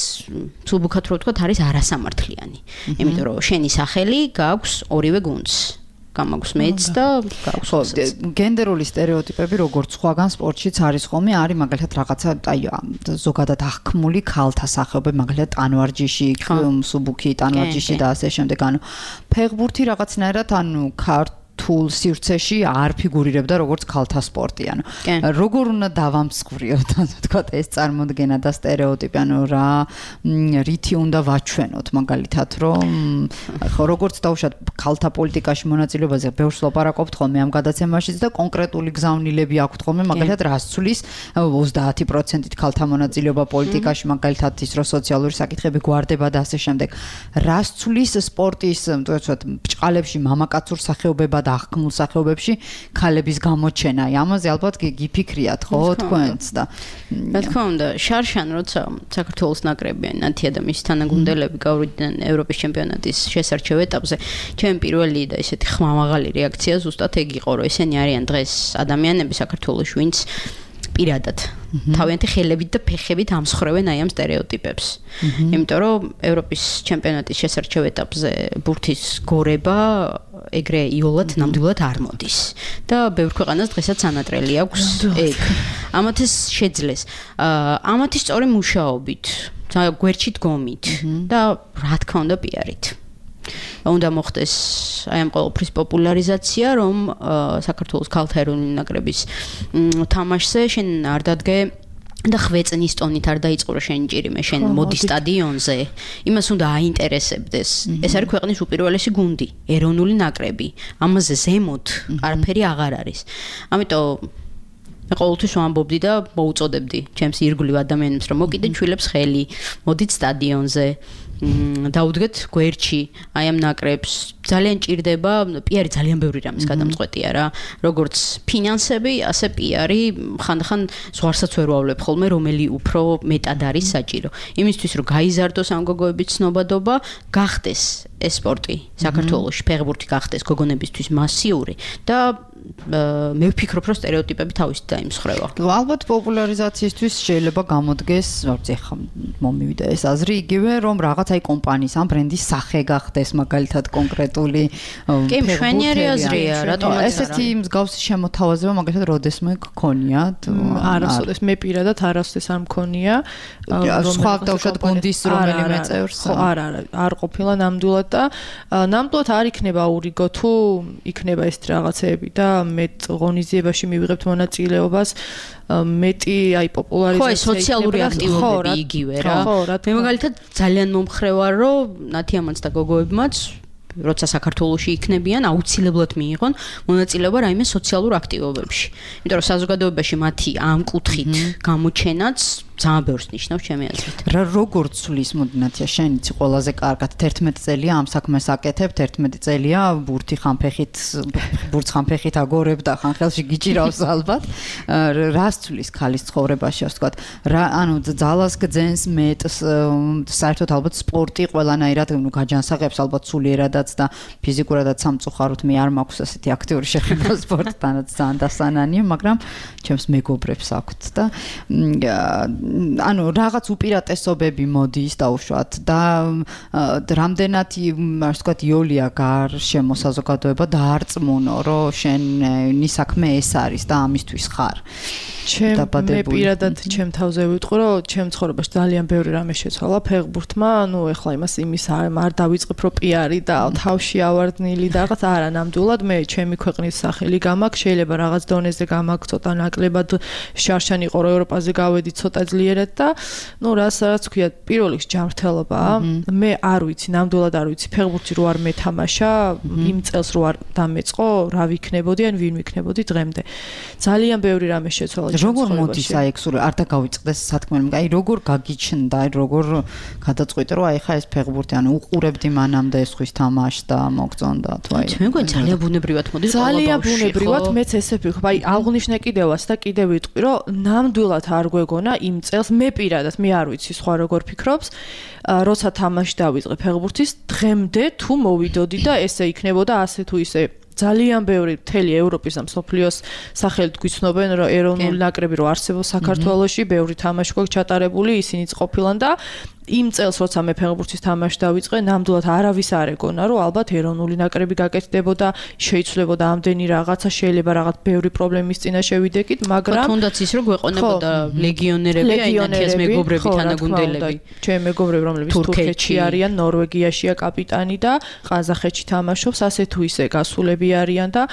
თუბუქად რო ვთქვათ არის არასამართლიანი იმიტომ რომ შენი სახელი გაქვს ორივე გუნდს გამაქვს მეც და გაქვს გენდერული სტერეოტიპები როგორც სხვაგან სპორტშიც არის ხოლმე არის მაგალითად რაღაცა აი ზოგადად აღქმული ქალთა სახეობები მაგალითად ტანვარჯიში სუბუქი ტანვარჯიში და ასე შემდეგ ანუ ფეხბურთი რაღაცნაირად ანუ თულ სივრცეში არ ფიგურირებდა როგორც ქალთა სპორტი ანუ როგორ უნდა დავამსხვრიოთ ასე ვთქვათ ეს წარმოდგენა და სტერეოტიპი ანუ რა რითი უნდა ვაჩვენოთ მაგალითად რომ ხო როგორც დავუშვათ ქალთა პოლიტიკაში მონაწილეობაზე ბევრს ლაპარაკობთ ხოლმე ამ გადაცემაშიც და კონკრეტული გზავნილები აქვთ ხოლმე მაგალითად რას ცulis 30%-ით ქალთა მონაწილეობა პოლიტიკაში მაგალითად ის რომ სოციალური საკითხები გვარდება და ასე შემდეგ რას ცulis სპორტის ვთქვათ ბჭყალებში მამაკაცურ სახეობებად აღქმულ სახეობებში ქალების გამოჩენა. ამაზე ალბათ გიფიქრიათ, ხო, თქვენც და რა თქმა უნდა, შარშან როცა საქართველოს ნაკრები ნათია და მისი თანაგუნდელები გავიდნენ ევროპის ჩემპიონატის შესარჩევ ეტაპზე, ჩემი პირველი და ესეთი ხმამაღალი რეაქცია ზუსტად ეგ იყო, რომ ესენი არიან დღეს ადამიანები საქართველოში, ვინც პირადად თავიანთი ხელებით და ფეხებით ამსხრევენ აი ამ სტერეოტიპებს. იმიტომ რომ ევროპის ჩემპიონატის შესარჩევ ეტაპზე ბურთის გორება ეგრე იოლად ნამდვილად არ მოდის და ბევრ ქვეყანას დღესაც ანატრელი აქვს ეგ. ამათ ეს შეძლეს. ამათი სწორი მუშაობით გვერდში დგომით და რა თქმა უნდა პიარით. უნდა მოხდეს აი ამ ყოველფრის პოპულარიზაცია, რომ საქართველოს ქალთა ეროვნული ნაკრების თამაშზე შენ არ დადგე და ხვეწნის ტონით არ დაიწყო შენი ჭირიმე, შენ მოდი სტადიონზე. იმას უნდა აინტერესებდეს. ეს არის ქვეყნის უპირველესი გუნდი, ეროვნული ნაკრები. ამაზე ზემოთ არაფერი აღარ არის. ამიტომ მე ყოველთვის ვამბობდი და მოუწოდებდი ჩემს ირგვლივ ადამიანებს, რომ მოკიდეთ შვილებს ხელი, მოდით სტადიონზე. დაუდგეთ გვერდში აი ამ ნაკრებს ძალიან ჭირდება პიარი ძალიან ბევრი რამის გადამწყვეტია რა როგორც ფინანსები ასე პიარი ხანდახან ზღვარსაც ვერ ვავლებ ხოლმე რომელი უფრო მეტად არის საჭირო იმისთვის რომ გაიზარდოს ამ გოგოების ცნობადობა გახდეს ეს სპორტი საქართველოში ფეხბურთი გახდეს გოგონებისთვის მასიური და მე ვფიქრობ რომ სტერეოტიპები თავისით დაიმსხვრევა. ალბათ პოპულარიზაციისთვის შეიძლება გამოდგეს, ვთქვი, ხა მომივიდა ეს აზრი იგივე რომ რაღაც აი კომპანიის ამ ბრენდის სახე გახდეს მაგალითად კონკრეტული კი მშვენიერი აზრია, რატომ ესეთი მსგავსი შემოთავაზება მაგალითად როდესმე გქონიათ? არასოდეს მე პირადად არასოდეს არ მქონია. სხვა დავუშვათ გუნდის რომელიმე წევრს? არ ყოფილა ნამდვილად და ნამდვილად არ იქნება ურიგო თუ იქნება ეს რაღაცეები და მეტ ღონისძიებაში მივიღებთ მონაწილეობას მეტი აი პოპულარიზაცია ხო სოციალური აქტივობები იგივე რა მე მაგალითად ძალიან მომხრე ვარ რომ ნათიამაც და გოგოებმაც როცა საქართველოში იქნებიან აუცილებლად მიიღონ მონაწილეობა რაიმე სოციალურ აქტივობებში იმიტომ რომ საზოგადოებაში მათი ამ კუთხით გამოჩენაც ძალიან ბევრს ნიშნავს ჩემი აზრით. რა როგორ ცვლის მოდინაცია შენ იცი ყველაზე კარგად 11 წელია ამ საქმეს აკეთებ 11 წელია ბურთი ხანფეხით ბურთს ხანფეხით აგორებ და ხანხელში გიჭირავს ალბათ რას ცვლის ქალის ცხოვრებაში ასე ვთქვათ რა ანუ ძალას გძენს მეტს საერთოდ ალბათ სპორტი ყველანაირად ნუ გაჯანსაღებს ალბათ სულიერადაც და ფიზიკურადაც სამწუხაროდ მე არ მაქვს ასეთი აქტიური შეხება სპორტთანაც ძალიან დასანანია მაგრამ ჩემს მეგობრებს აქვთ და ანუ რაღაც უპირატესობები მოდის დაუშვათ და რამდენად ასე ვთქვათ იოლია გარშემო საზოგადოება დაარწმუნო რომ შენი საქმე ეს არის და ამისთვის ხარ მე პირადად ჩემ თავზე ვიტყვი რომ ჩემ ცხოვრებაში ძალიან ბევრი რამე შეცვალა ფეხბურთმა ანუ ეხლა იმის არ დავიწყებ რომ პიარი და თავში ავარდნილი და რაღაც არა ნამდვილად მე ჩემი ქვეყნის სახელი გამაქვს შეიძლება რაღაც დონეზე გამაქვს ცოტა ნაკლებად შარშანი ყო ევროპაზე გავედი ცოტა ძლიერად და ნუ რასაც ვქვია პირველ რიგში ჯანმრთელობაა მე არ ვიცი ნამდვილად არ ვიცი ფეხბურთი რო არ მეთამაშა იმ წელს რო არ დამეწყო რა ვიქნებოდი ან ვინ ვიქნებოდი დღემდე ძალიან ბევრი რამე შეცვალა როგორ მოდის აი ეგ სულ არ დაგავიწყდეს სათქმელი აი როგორ გაგიჩნდა აი როგორ გადაწყვიტე რომ აი ხა ეს ფეხბურთი ანუ უყურებდი მანამდე ეს ხვის თამაშს და მოგწონდა თუ აი მე მგონი ძალიან ბუნებრივად მოდის ძალიან ბუნებრივად მეც ესე ვფიქრობ აი აღნიშნე კიდევაც და კიდევ ვიტყვი რომ ნამდვილად არ გვეგონა იმ წელს მე პირადად მე არ ვიცი სხვა როგორ ფიქრობს როცა თამაში დავიწყე ფეხბურთის დღემდე თუ მოვიდოდი და ესე იქნებოდა ასე თუ ისე ძალიან ბევრი მთელი ევროპის და მსოფლიოს სახელით გვიცნობენ რომ ეროვნული ნაკრები რო არსებობს საქართველოში ბევრი თამაში გვაქვს ჩატარებული ისინიც ყოფილან და იმ წელს როცა მე ფეხბურთის თამაში დავიწყე ნამდვილად არავის არ ეგონა რომ ალბათ ეროვნული ნაკრები გაკეთდებოდა შეიცვლებოდა ამდენი რაღაცა შეიძლება რაღაც ბევრი პრობლემის წინა შევიდეკით მაგრამ თუნდაც ის რომ გვეყონებოდა ლეგიონერები აი ნათიას მეგობრები თანაგუნდელები ჩემი მეგობრები რომლებიც თურქეთში არიან ნორვეგიაშია კაპიტანი და ყაზახეთში თამაშობს ასე თუ ისე გასულები არიან და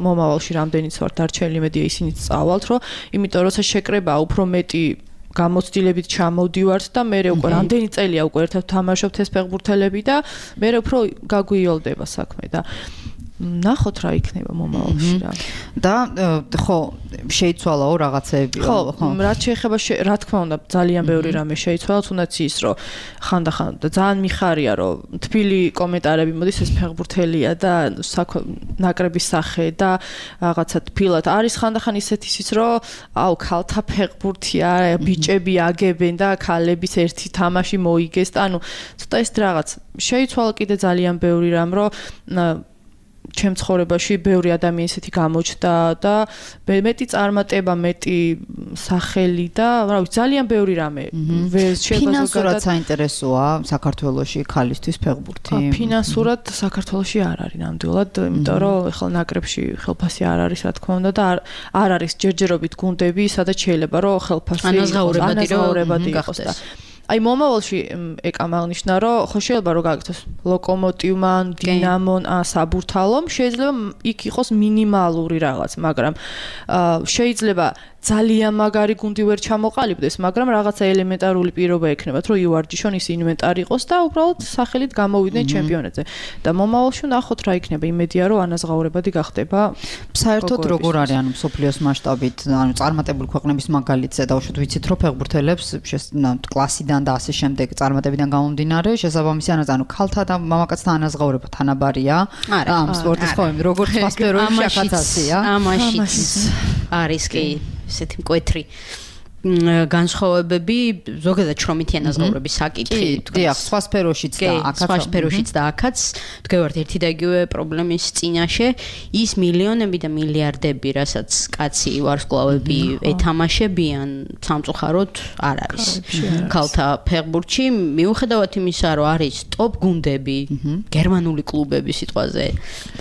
მომავალში რამდენიც ვართ დარჩენილი მედია ისინიც წავალთ რომ იმიტომ როცა შეკრება უფრო მეტი გამოცდილებით ჩამოვდივართ და მე უკვე რამდენი წელია უკვე ერთად თამაშობთ ეს ფეხბურთელები და მე უფრო გაგვიოლდება საქმე და ნახოთ რა იქნება მომავალში რა და ხო შეიცვალაო რაღაცეები ხო რაც შეეხება რა თქმა უნდა ძალიან ბევრი რამე შეიცვალა თუნდაც ის რომ ხანდახან ძალიან მიხარია რომ თბილი კომენტარები მოდის ეს ფეხბურთელია და ნაკრების სახე და რაღაცა თბილად არის ხანდახან ისეთი ის რომ აუ ქალთა ფეხბურთია ბიჭები აგებენ და ქალების ერთი თამაში მოიგეს და ანუ ცოტა ეს რაღაც შეიცვალა კიდე ძალიან ბევრი რამ რომ ჩემ ცხოვრებაში ბევრი ადამიანი ისეთი გამოჩნდა და მეტი წარმატება, მეტი სახელი და რა ვიცი, ძალიან ბევრი რამე. ფინანსურად საინტერესოა საქართველოში ქალისთვის ფეხბურთი. ფინანსურად საქართველოში არ არის ნამდვილად, იმიტომ რომ ეხლა ნაკრებში ხელფასი არ არის, რა თქმა უნდა და არ არის ჯერჯერობით გუნდები, სადაც შეიძლება რომ ხელფასი ანაზღაურებადი იყოს და აი მომავალში ეკამ აღნიშნა რომ ხო შეიძლება რომ გაგიქცეს ლოკომოტივმან, დინამონ, საბურთალომ შეიძლება იქ იყოს მინიმალური რაღაც, მაგრამ შეიძლება ძალიან მაგარი გუნდი ვერ ჩამოყალიბდეს, მაგრამ რაღაცა ელემენტარული პირობა ექნებათ, რომ იوارჯიშონ ის ინვენტარი იყოს და უბრალოდ სახელით გამოვიდნენ ჩემპიონატზე. და მომავალში ნახოთ რა იქნება, იმედია რომ ანაზღაურებადი გახდება. საერთოდ როგორ არის ანუ მსოფლიოს მასშტაბით, ანუ წარმატებული ქვეყნების მაგალითზე დავუშვათ ვიცით რომ ფეხბურთელებს კლასიდან და ასე შემდეგ წარმატებიდან გამომდინარე, შესაბამისი ანუ ქალთა და მამაკაცთა ანაზღაურება თანაბარია. ამ სპორტის ხომ როგორც სხვა სფეროებში ახაცაცია. ამაშიც არის კი ესეთი მკვეთრი განსხვავებები ზოგადად შრომითი ანაზღაურების საკითხი დიახ სხვა სფეროშიც და აქაც სხვა სფეროშიც და აქაც თქვენ ერთი და იგივე პრობლემის წინაშე ის მილიონები და მილიარდები რასაც კაცი ვარსკვლავები ეთამაშებიან სამწუხაროდ არ არის ქალთა ფეხბურთში მიუხედავად იმისა რომ არის ტოპ გუნდები გერმანული კლუბები სიტყვაზე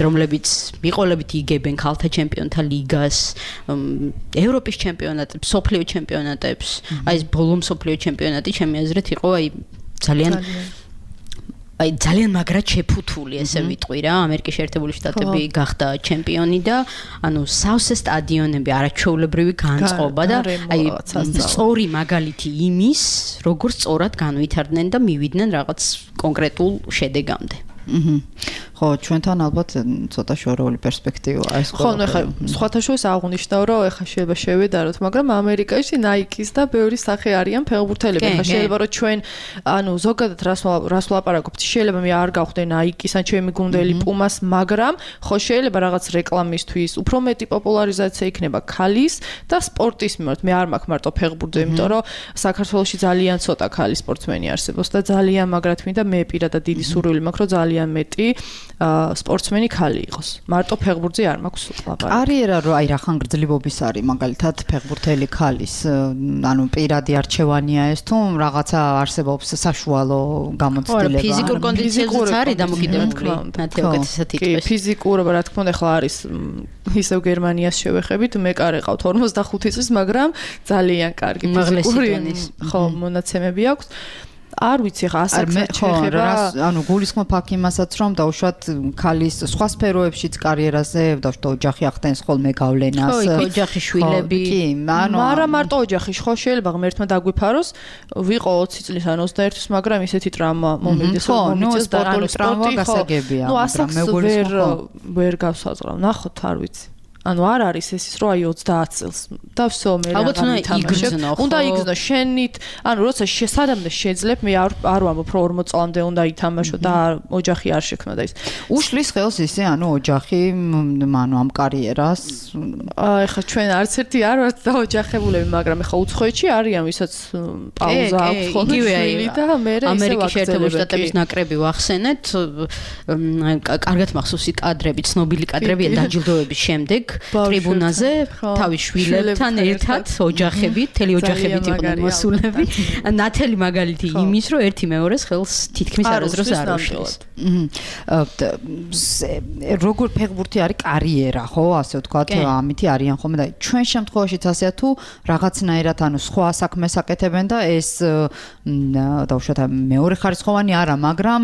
რომლებიც მიყოლებით იგებენ ქალთა ჩემპიონთა ლიგას ევროპის ჩემპიონატებს სოფლიო ჩემპიონატებს აი ეს ბოლო მსოფლიო ჩემპიონატი ჩემი აზრით იყო აი ძალიან მაგრად შეფუთული ესე ვიტყვი რა ამერიკის შეერთებული შტატები გახდა ჩემპიონი და ანუ სავსე სტადიონები არაჩვეულებრივი განწყობა და აი სწორი მაგალითი იმის როგორ სწორად განვითარდნენ და მივიდნენ რაღაც კონკრეტულ შედეგამდე ხო ჩვენთან ალბათ ცოტა შორეული პერსპექტივაა ეს ხო ნუ ხა სხვათა შორის აღნიშნავ რომ ეხა შეიძლება შევედაროთ მაგრამ ამერიკაში Nike-ის და ბევრი სახე არიან ფეხბურთელები ხა შეიძლება რომ ჩვენ ანუ ზოგადად რას ვლაპარაკობთ შეიძლება მე არ გავხდე Nike-ის ან ჩემი გუნდელი Puma-ს მაგრამ ხო შეიძლება რაღაც რეკლამისთვის უფრო მეტი პოპულარიზაცია იქნება ქალის და სპორტის მიმართ მე არ მაქვს მარტო ფეხბურთზე იმიტომ რომ საქართველოში ძალიან ცოტა ქალი სპორტსმენი არსებობს და ძალიან მაგრად მინდა მე პირადად დიდი სურვილი მაქვს რომ ძალიან მეტი სპორტსმენი ქალი იყოს. მარტო ფეხბურთზე არ მაქვს ლაპარაკი. კარიერა რო აი რახან გრძელობების არის მაგალითად ფეხბურთელი ქალის ანუ პირადი არჩევანია ეს თუ რაღაცა არსებობს საშუალო გამოცდილება. ფიზიკურ კონდიციებზეც არის დამოკიდებული. მათი უკეთესად იტყვის. ფიზიკურობა რა თქმა უნდა ხლა არის ისევ გერმანიას შევეხებით მე კარ ეყავთ 45 წლის მაგრამ ძალიან კარგი ფიზიკური ხო მონაცემები აქვს. არ ვიცი ხა ასაკს შეიძლება ანუ გულისხმობ აქ იმასაც რომ დაუშვათ ქალის სხვა სფეროებშიც კარიერაზე დაუშვათ ოჯახი ახდენს ხოლმე გავლენას ხო ოჯახი შვილები კი მაგრამ მარტო ოჯახი ხო შეიძლება ღმერთმა დაგვიფაროს ვიყო 20 წლის ან 21 წლის მაგრამ ისეთი ტრაუმა მომედეს რომ მომიწეს და ანუ ტრაუმა გასაგებია ნუ ასაკს ვერ გავსაზღვრავ ნახოთ არ ვიცი ანუ არ არის ეს რომ აი 30 წელს და всё მე უნდა იგრძნო შენით ანუ როცა შესადამნე შეძლებ მე არ ვამბობ რომ 40 წლამდე უნდა ითამაშო და ოჯახი არ შექმნა და ის უშლის ხელს ისე ანუ ოჯახი ანუ ამ კარიერას ეხა ჩვენ არც ერთი არ ვართ და ოჯახებულები მაგრამ ეხა უცხოეთში არიან ვისაც პაუზა აქვს ხოლმე და მე ამერიკის შეერთებული შტატების ნაკრები ვახსენეთ კარგად მახსოვს კადრები ცნობილი კადრებია დაჯილდოების შემდეგ ტრიბუნაზე თავის შვილებთან ერთად ოჯახები, თელი ოჯახებით იყვნენ მოსულები. ნათელი მაგალითი იმის, რომ ერთი მეორეს ხელს თითქმის არასდროს არ უშლის. როგორ ფეხბურთი არის კარიერა, ხო, ასე ვთქვათ, ამითი არიან ხოლმე და ჩვენ შემთხვევაშიც ასეა თუ რაღაცნაირად ანუ სხვა საქმეს აკეთებენ და ეს დაუშვათ მეორე ხარისხოვანი არა, მაგრამ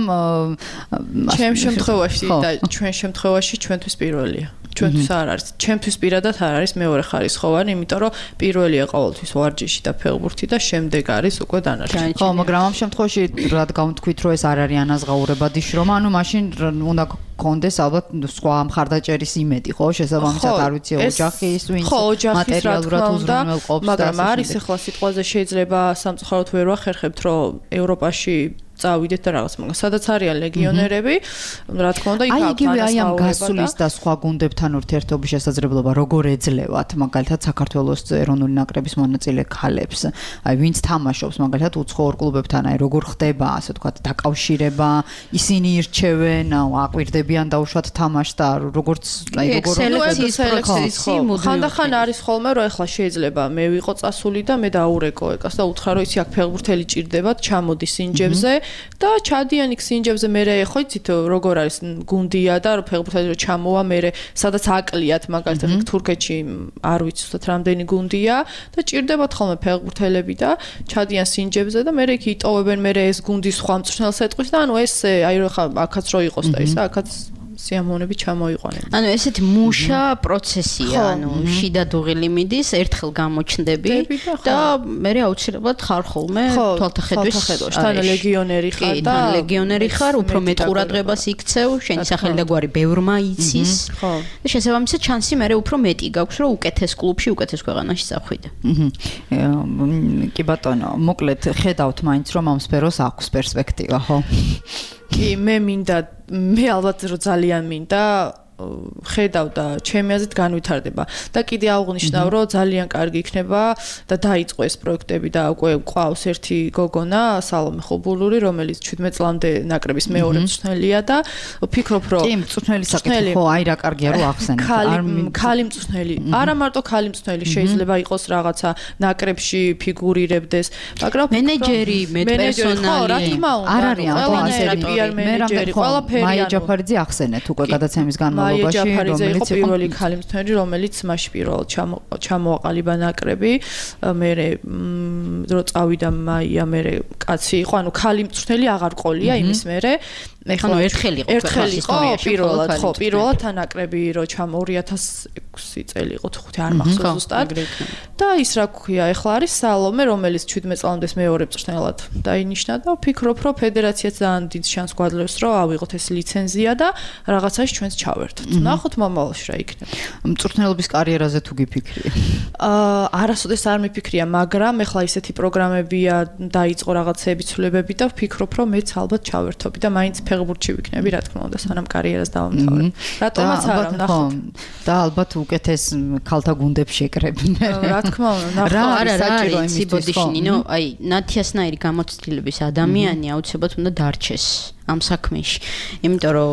ჩემ შემთხვევაში და ჩვენ შემთხვევაში ჩვენთვის პირველია. ჩვენთვის არ არის. ჩემთვის პირადად არ არის მეორე ხარისხოვანი, იმიტომ რომ პირველია ყოველთვის ვარჯიში და ფეხბურთი და შემდეგ არის უკვე დანარჩენი. ხო, მაგრამ ამ შემთხვევაში რადგან თქვით, რომ ეს არ არის ანაზღაურებადი შრომა, ანუ მაშინ უნდა კონდეს ალბათ სხვა მხარდაჭერის იმედი, ხო, შესაბამისად არ ვიცი ოჯახის ვინც მატერიალურად უზრუნველყოფს, მაგრამ არის ახლა სიტყვაზე შეიძლება სამწუხაროდ ვერ ვახერხებთ, რომ ევროპაში წავიდეთ და რაღაც მაგრამ სადაც არიან ლეგიონერები რა თქმა უნდა იქ აი იგივე აი ამ გასulis და სხვა გუნდებთან ურთიერთობის შესაძლებლობა როგორ ეძლევათ მაგალითად საქართველოს ეროვნული ნაკრების მონაწილე ქალებს აი ვინც თამაშობს მაგალითად უცხოურ კლუბებთან აი როგორ ხდება ასე ვთქვათ დაკავშირება ისინი ირჩევენ აკვირდებიან დაუშვათ თამაშს და როგორც აი როგორ სელექციის ხანდახან არის ხოლმე რომ ეხლა შეიძლება მე ვიყო წასული და მე დაურეკო ეკას და უთხრა რომ ისი აქ ფეხბურთელი ჭირდებათ ჩამოდი სინჯებზე და ჩადიან იქ სინჯებზე მე ხო იცით როგორ არის გუნდია და ფეხბურთელი რო ჩამოვა მე სადაც აკლიათ მაგალითად თურქეთში არ ვიცი უბრალოდ რამდენი გუნდია და ჭირდებათ ხოლმე ფეხბურთელები და ჩადიან სინჯებზე და მე იქ იტოვებენ მე ეს გუნდის სხვა მწვრთნელს ეტყვის და ანუ ეს აი რო ხა აქაც რო იყოს და ისა აქაც სიამოვნები ჩამოიყვანენ. ანუ ესეთი მუშა პროცესია, ანუ შიდა დუღილი მიდის, ერთხელ გამოჩნდები და მე აუცილებლად ხარ ხოლმე თვალთახედვის თან ლეგიონერი ხარ და ლეგიონერი ხარ, უფრო მეტ ყურადღებას იქცევ, შენი სახელი და გვარი ბევრმა იცის. და შესაბამისად შანსი მე უფრო მეტი გაქვს, რომ უკეთეს კლუბში, უკეთეს ქვეყანაში წახვიდე. კი ბატონო, მოკლედ ხედავთ მაინც რომ ამ სფეროს აქვს პერსპექტივა, ხო? კი, მე ალბათ რომ ძალიან მინდა ხედავ და ჩემი აზრით განვითარდება და კიდე აღნიშნავ რომ ძალიან კარგი იქნება და დაიწყო ეს პროექტები და უკვე ყავს ერთი გოგონა სალომე ხობულური რომელიც 17 წლამდე ნაკრების მეორე მწვრთნელია და ვფიქრობ რომ კი მწვრთნელი საკითხი ხო აი რა კარგია რომ ახსენეთ ქალი მწვრთნელი არა მარტო ქალი მწვრთნელი შეიძლება იყოს რაღაცა ნაკრებში ფიგურირებდეს მაგრამ მენეჯერი მეტპერსონალი არ არის ამ მენეჯერი ყველაფერი მაია ჯაფარიძე ახსენეთ უკვე გადაცემის განმავლობაში რომელიც იყო პირველი ქალი მწვრთნელი რომელიც მაშ პირველად ჩამოაყალიბა ნაკრები მე რო წავიდა მაია მე კაცი იყო ანუ ქალი მწვრთნელი აღარ ყოლია იმის მერე ეხლა ერთხელ იყო პირველად თან ნაკრები რო 2006 წელი იყო 5 არ მახსოვს ზუსტად და ის რა ქვია ეხლა არის სალომე რომელიც 17 წლამდე მეორე მწვრთნელად დაინიშნა და ვფიქრობ რომ ფედერაციაც ძალიან დიდ შანსს გვაძლევს რომ ავიღოთ ეს ლიცენზია და რაღაცაში ჩვენს ჩავერთოთ. ნახოთ მომავალში რა იქნება. მწვრთნელობის კარიერაზე თუ გიფიქრია? არასოდეს არ მიფიქრია, მაგრამ ეხლა ისეთი პროგრამებია დაიწყო რაღაცეები ცვლილებები და ვფიქრობ რომ მეც ალბათ ჩავერთობი და მაინც ფეხბურთში ვიქნები, რა თქმა უნდა, სანამ კარიერას დავამთავრებ. რატომაც არა, ნახოთ. და ალბათ უკეთეს ქალთა გუნდებს შეკრებინე. რა თქმა უნდა, რა საჭირო იმის ბოდიში, ნინო, აი, ნათიასნაირი გამოცდილების ადამიანი აუცილებლად უნდა დარჩეს. ამ საქმეში. იმიტომ რომ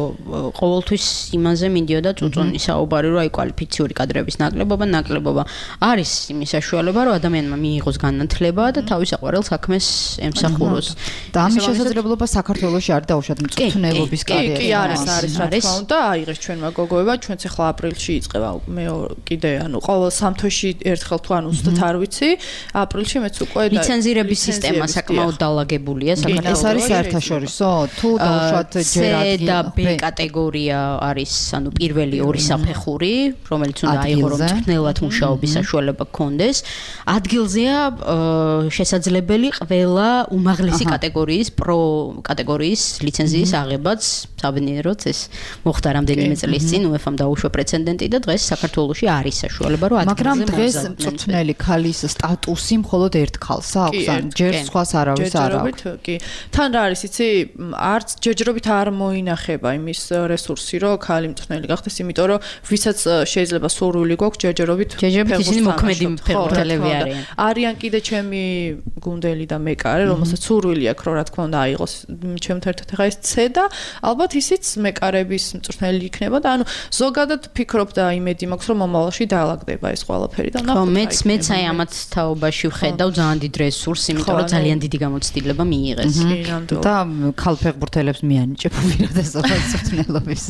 ყოველთვის იმაზე მიდიოდა წუწუნი საუბარი, რომ აი კვალიფიციური კადრების ნაკლებობა არის იმის საშუალება, რომ ადამიანმა მიიღოს განათლება და თავის აყვარელ საქმეს ემსახუროს. და ამის შესაძლებლობა საქართველოში არ დაუშვათ მწვრთნელობის კარიერა. კი, არის, რა თქმა უნდა, აიღეს ჩვენმა გოგოებმა, ჩვენც ახლა აპრილში იწყება მე კიდე ანუ ყოველ სამთოში ერთხელ თუ ანუ ზუსტად არ ვიცი, აპრილში მეც უკვე ლიცენზირების სისტემა საკმაოდ დალაგებულია საქართველოში. ეს არის საერთაშორისო თუ დაუშვათ ჯერ და B კატეგორია არის ანუ პირველი ორი საფეხური რომელიც უნდა აიღო რომ მწვრთნელად მუშაობის საშუალება გქონდეს ადგილზეა შესაძლებელი ყველა უმაღლესი კატეგორიის პრო კატეგორიის ლიცენზიის აღებაც საბედნიეროდ ეს მოხდა რამდენიმე წლის წინ UEFA-მ დაუშვა პრეცედენტი და დღეს საქართველოში არის საშუალება რომ ადგილზე მაგრამ დღეს მწვრთნელი ქალის სტატუსი მხოლოდ ერთ ქალს აქვს ან ჯერ სხვას არავის არ აქვს კი თან რა არის იცი არც ჯერჯერობით არ მოინახება იმის რესურსი, რომ ქალი მწვრთნელი გახდეს, იმიტომ რომ ვისაც შეიძლება სურვილი გვაქვს ჯერჯერობით ისინი მოქმედი ფეხბურთელები არიან. არიან კიდე ჩემი გუნდელი და მეკარე, რომელსაც სურვილი აქვს, რომ რა თქმა უნდა აიღოს ჩემთან ერთად ხა ეს C და ალბათ ისიც მეკარების მწვრთნელი იქნება და ანუ ზოგადად ვფიქრობ და იმედი მაქვს, რომ მომავალში დაალაგდება ეს ყველაფერი და ნახოთ. მეც აი ამათ თაობაში ვხედავ ძალიან დიდ რესურსს, იმიტომ რომ ძალიან დიდი გამოცდილება მიიღეს. და ქალ ფეხბურთელებს მიანიჭებ უპირატესობას მწვრთნელობის.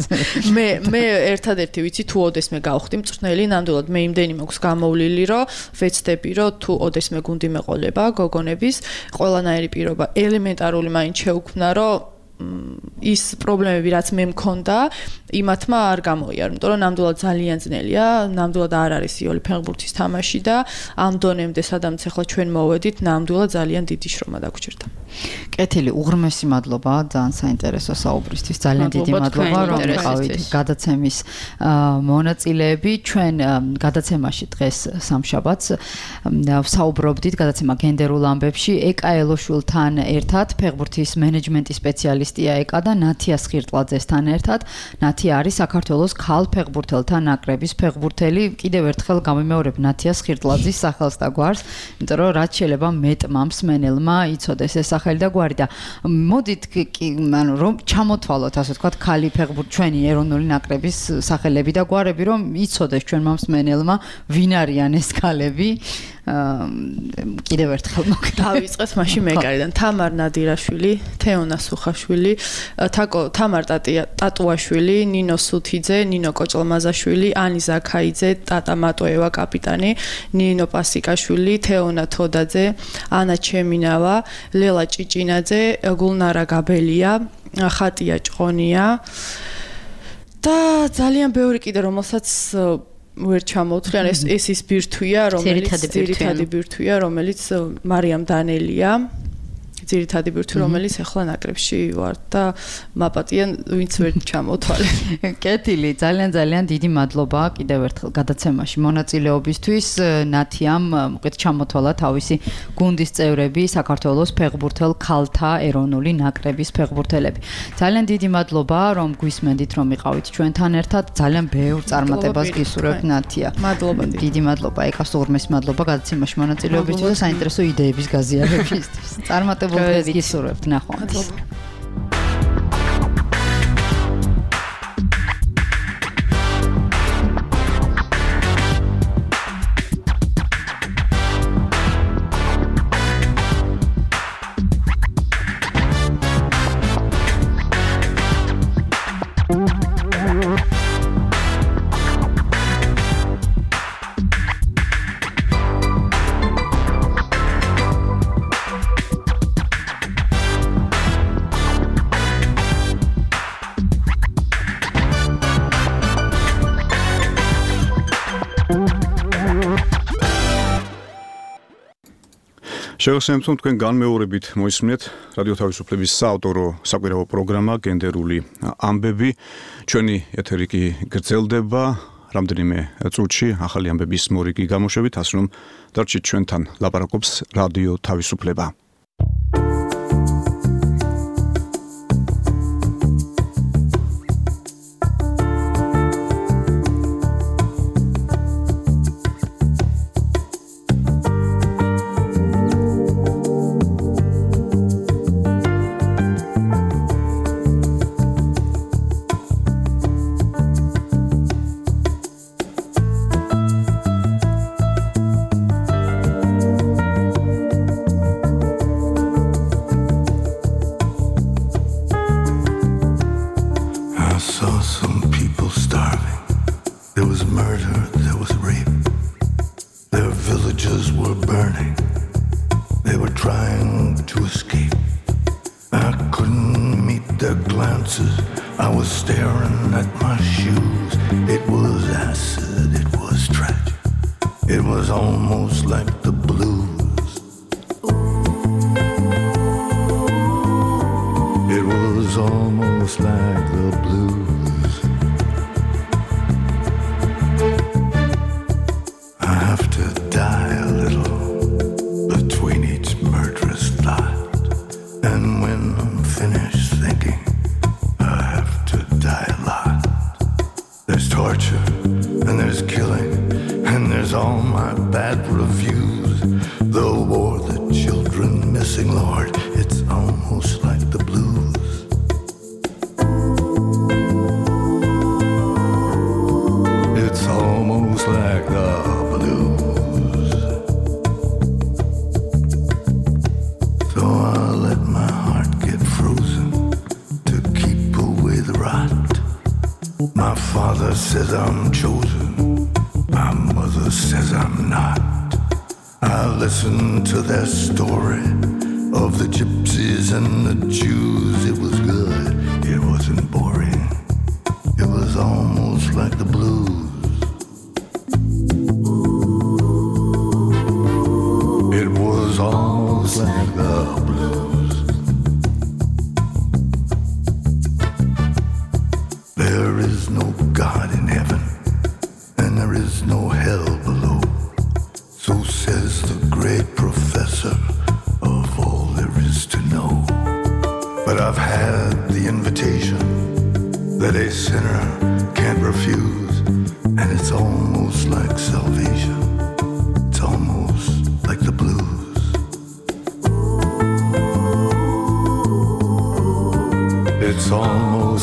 მე ერთადერთი ვიცი თუ ოდესმე გავხდი მწვრთნელი, ნამდვილად მე იმდენი მაქვს გამოვლილი, რომ ვეცდები, რომ თუ ოდესმე გუნდი მეყოლება გოგონების, ყველანაირი პირობა ელემენტარული მაინც შეუქმნა, რომ ის პრობლემები რაც მე მქონდა იმათმა არ გამოიარა, იმიტომ რომ ნამდვილად ძალიან ძნელია, ნამდვილად არ არის იოლი ფეხბურთის თამაში და ამ დონემდე სადაც ახლა ჩვენ მოვედით, ნამდვილად ძალიან დიდი შრომა დაგვრჩერდა. კეთილი, უღრმესი მადლობა, ძალიან საინტერესო საუბრისთვის, ძალიან დიდი მადლობა, რომ იყავით გადაცემის მონაწილეები. ჩვენ გადაცემაში დღეს სამშაბათს ვსაუბრობდით გადაცემა გენდერულ ამბებში ეკა ელოშვილთან ერთად, ფეხბურთის მენეჯმენტის სპეციალისტია ეკა და ნათია სხირტლაძესთან ერთად. ნათია არის საქართველოს ქალ ფეხბურთელთა ნაკრების ფეხბურთელი. კიდევ ერთხელ გამიმეორებ ნათია სხირტლაძის სახელს და გვარს, იმიტომ რომ რაც შეიძლება მეტმა მსმენელმა იცოდეს ეს სახელი და გვარი და მოდით ანუ რომ ჩამოთვალოთ ასე ვთქვათ ქალი ჩვენი ეროვნული ნაკრების სახელები და გვარები რომ იცოდეს ჩვენმა მსმენელმა ვინ არიან ეს ქალები კიდევ ერთხელ დავიწყეთ მაშინ მეკარიდან თამარ ნადირაშვილი, თეონა სუხაშვილი, თამარ ტატუაშვილი, ნინო სუთიძე, ნინო კოჭლმაზაშვილი, ანი ზაქაიძე, ტატა მატოევა კაპიტანი, ნინო პასიკაშვილი, თეონა თოდაძე, ანა ჩემინავა, ლელა ჭიჭინაძე, გულნარა გაბელია, ხატია ჭყონია და ძალიან ბევრი კიდე რომელსაც ვერ ჩამოვთვლიან ეს ის ბირთვია რომელიც მარიამ დანელია ძირითადი ბირთვი რომელიც ახლა ნაკრებში ვარ და მაპატიან ვინც ვერ ჩამოვთვალე. კეთილი, ძალიან დიდი მადლობა კიდევ ერთხელ გადაცემაში მონაწილეობისთვის. ნათიამ მოკეთ ჩამოთვალა თავისი გუნდის წევრები, საქართველოს ფეხბურთელ ქალთა ეროვნული ნაკრების ფეხბურთელები. ძალიან დიდი მადლობა რომ გვისმენდით რომ იყავით ჩვენთან ერთად. ძალიან ბევრ წარმატებას გისურვებთ ნათია. მადლობა. დიდი მადლობა ეკას უღრმეს მადლობა გადაცემაში მონაწილეობისთვის და საინტერესო იდეების გაზიარებისთვის. წარმატებულ დღეს გისურვებთ ნახვამდის. შევასრულებთ თქვენ განმეორებით მოისმინეთ რადიო თავისუფლების საავტორო საკვირაო პროგრამა გენდერული ამბები. ჩვენი ეთერი კი გრძელდება რამდენიმე წუთში ახალი ამბების მორიგი გამოშვებით, ასე რომ დარჩით ჩვენთან ლაპარაკობს რადიო თავისუფლება.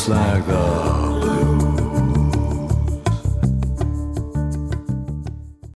just like the blues.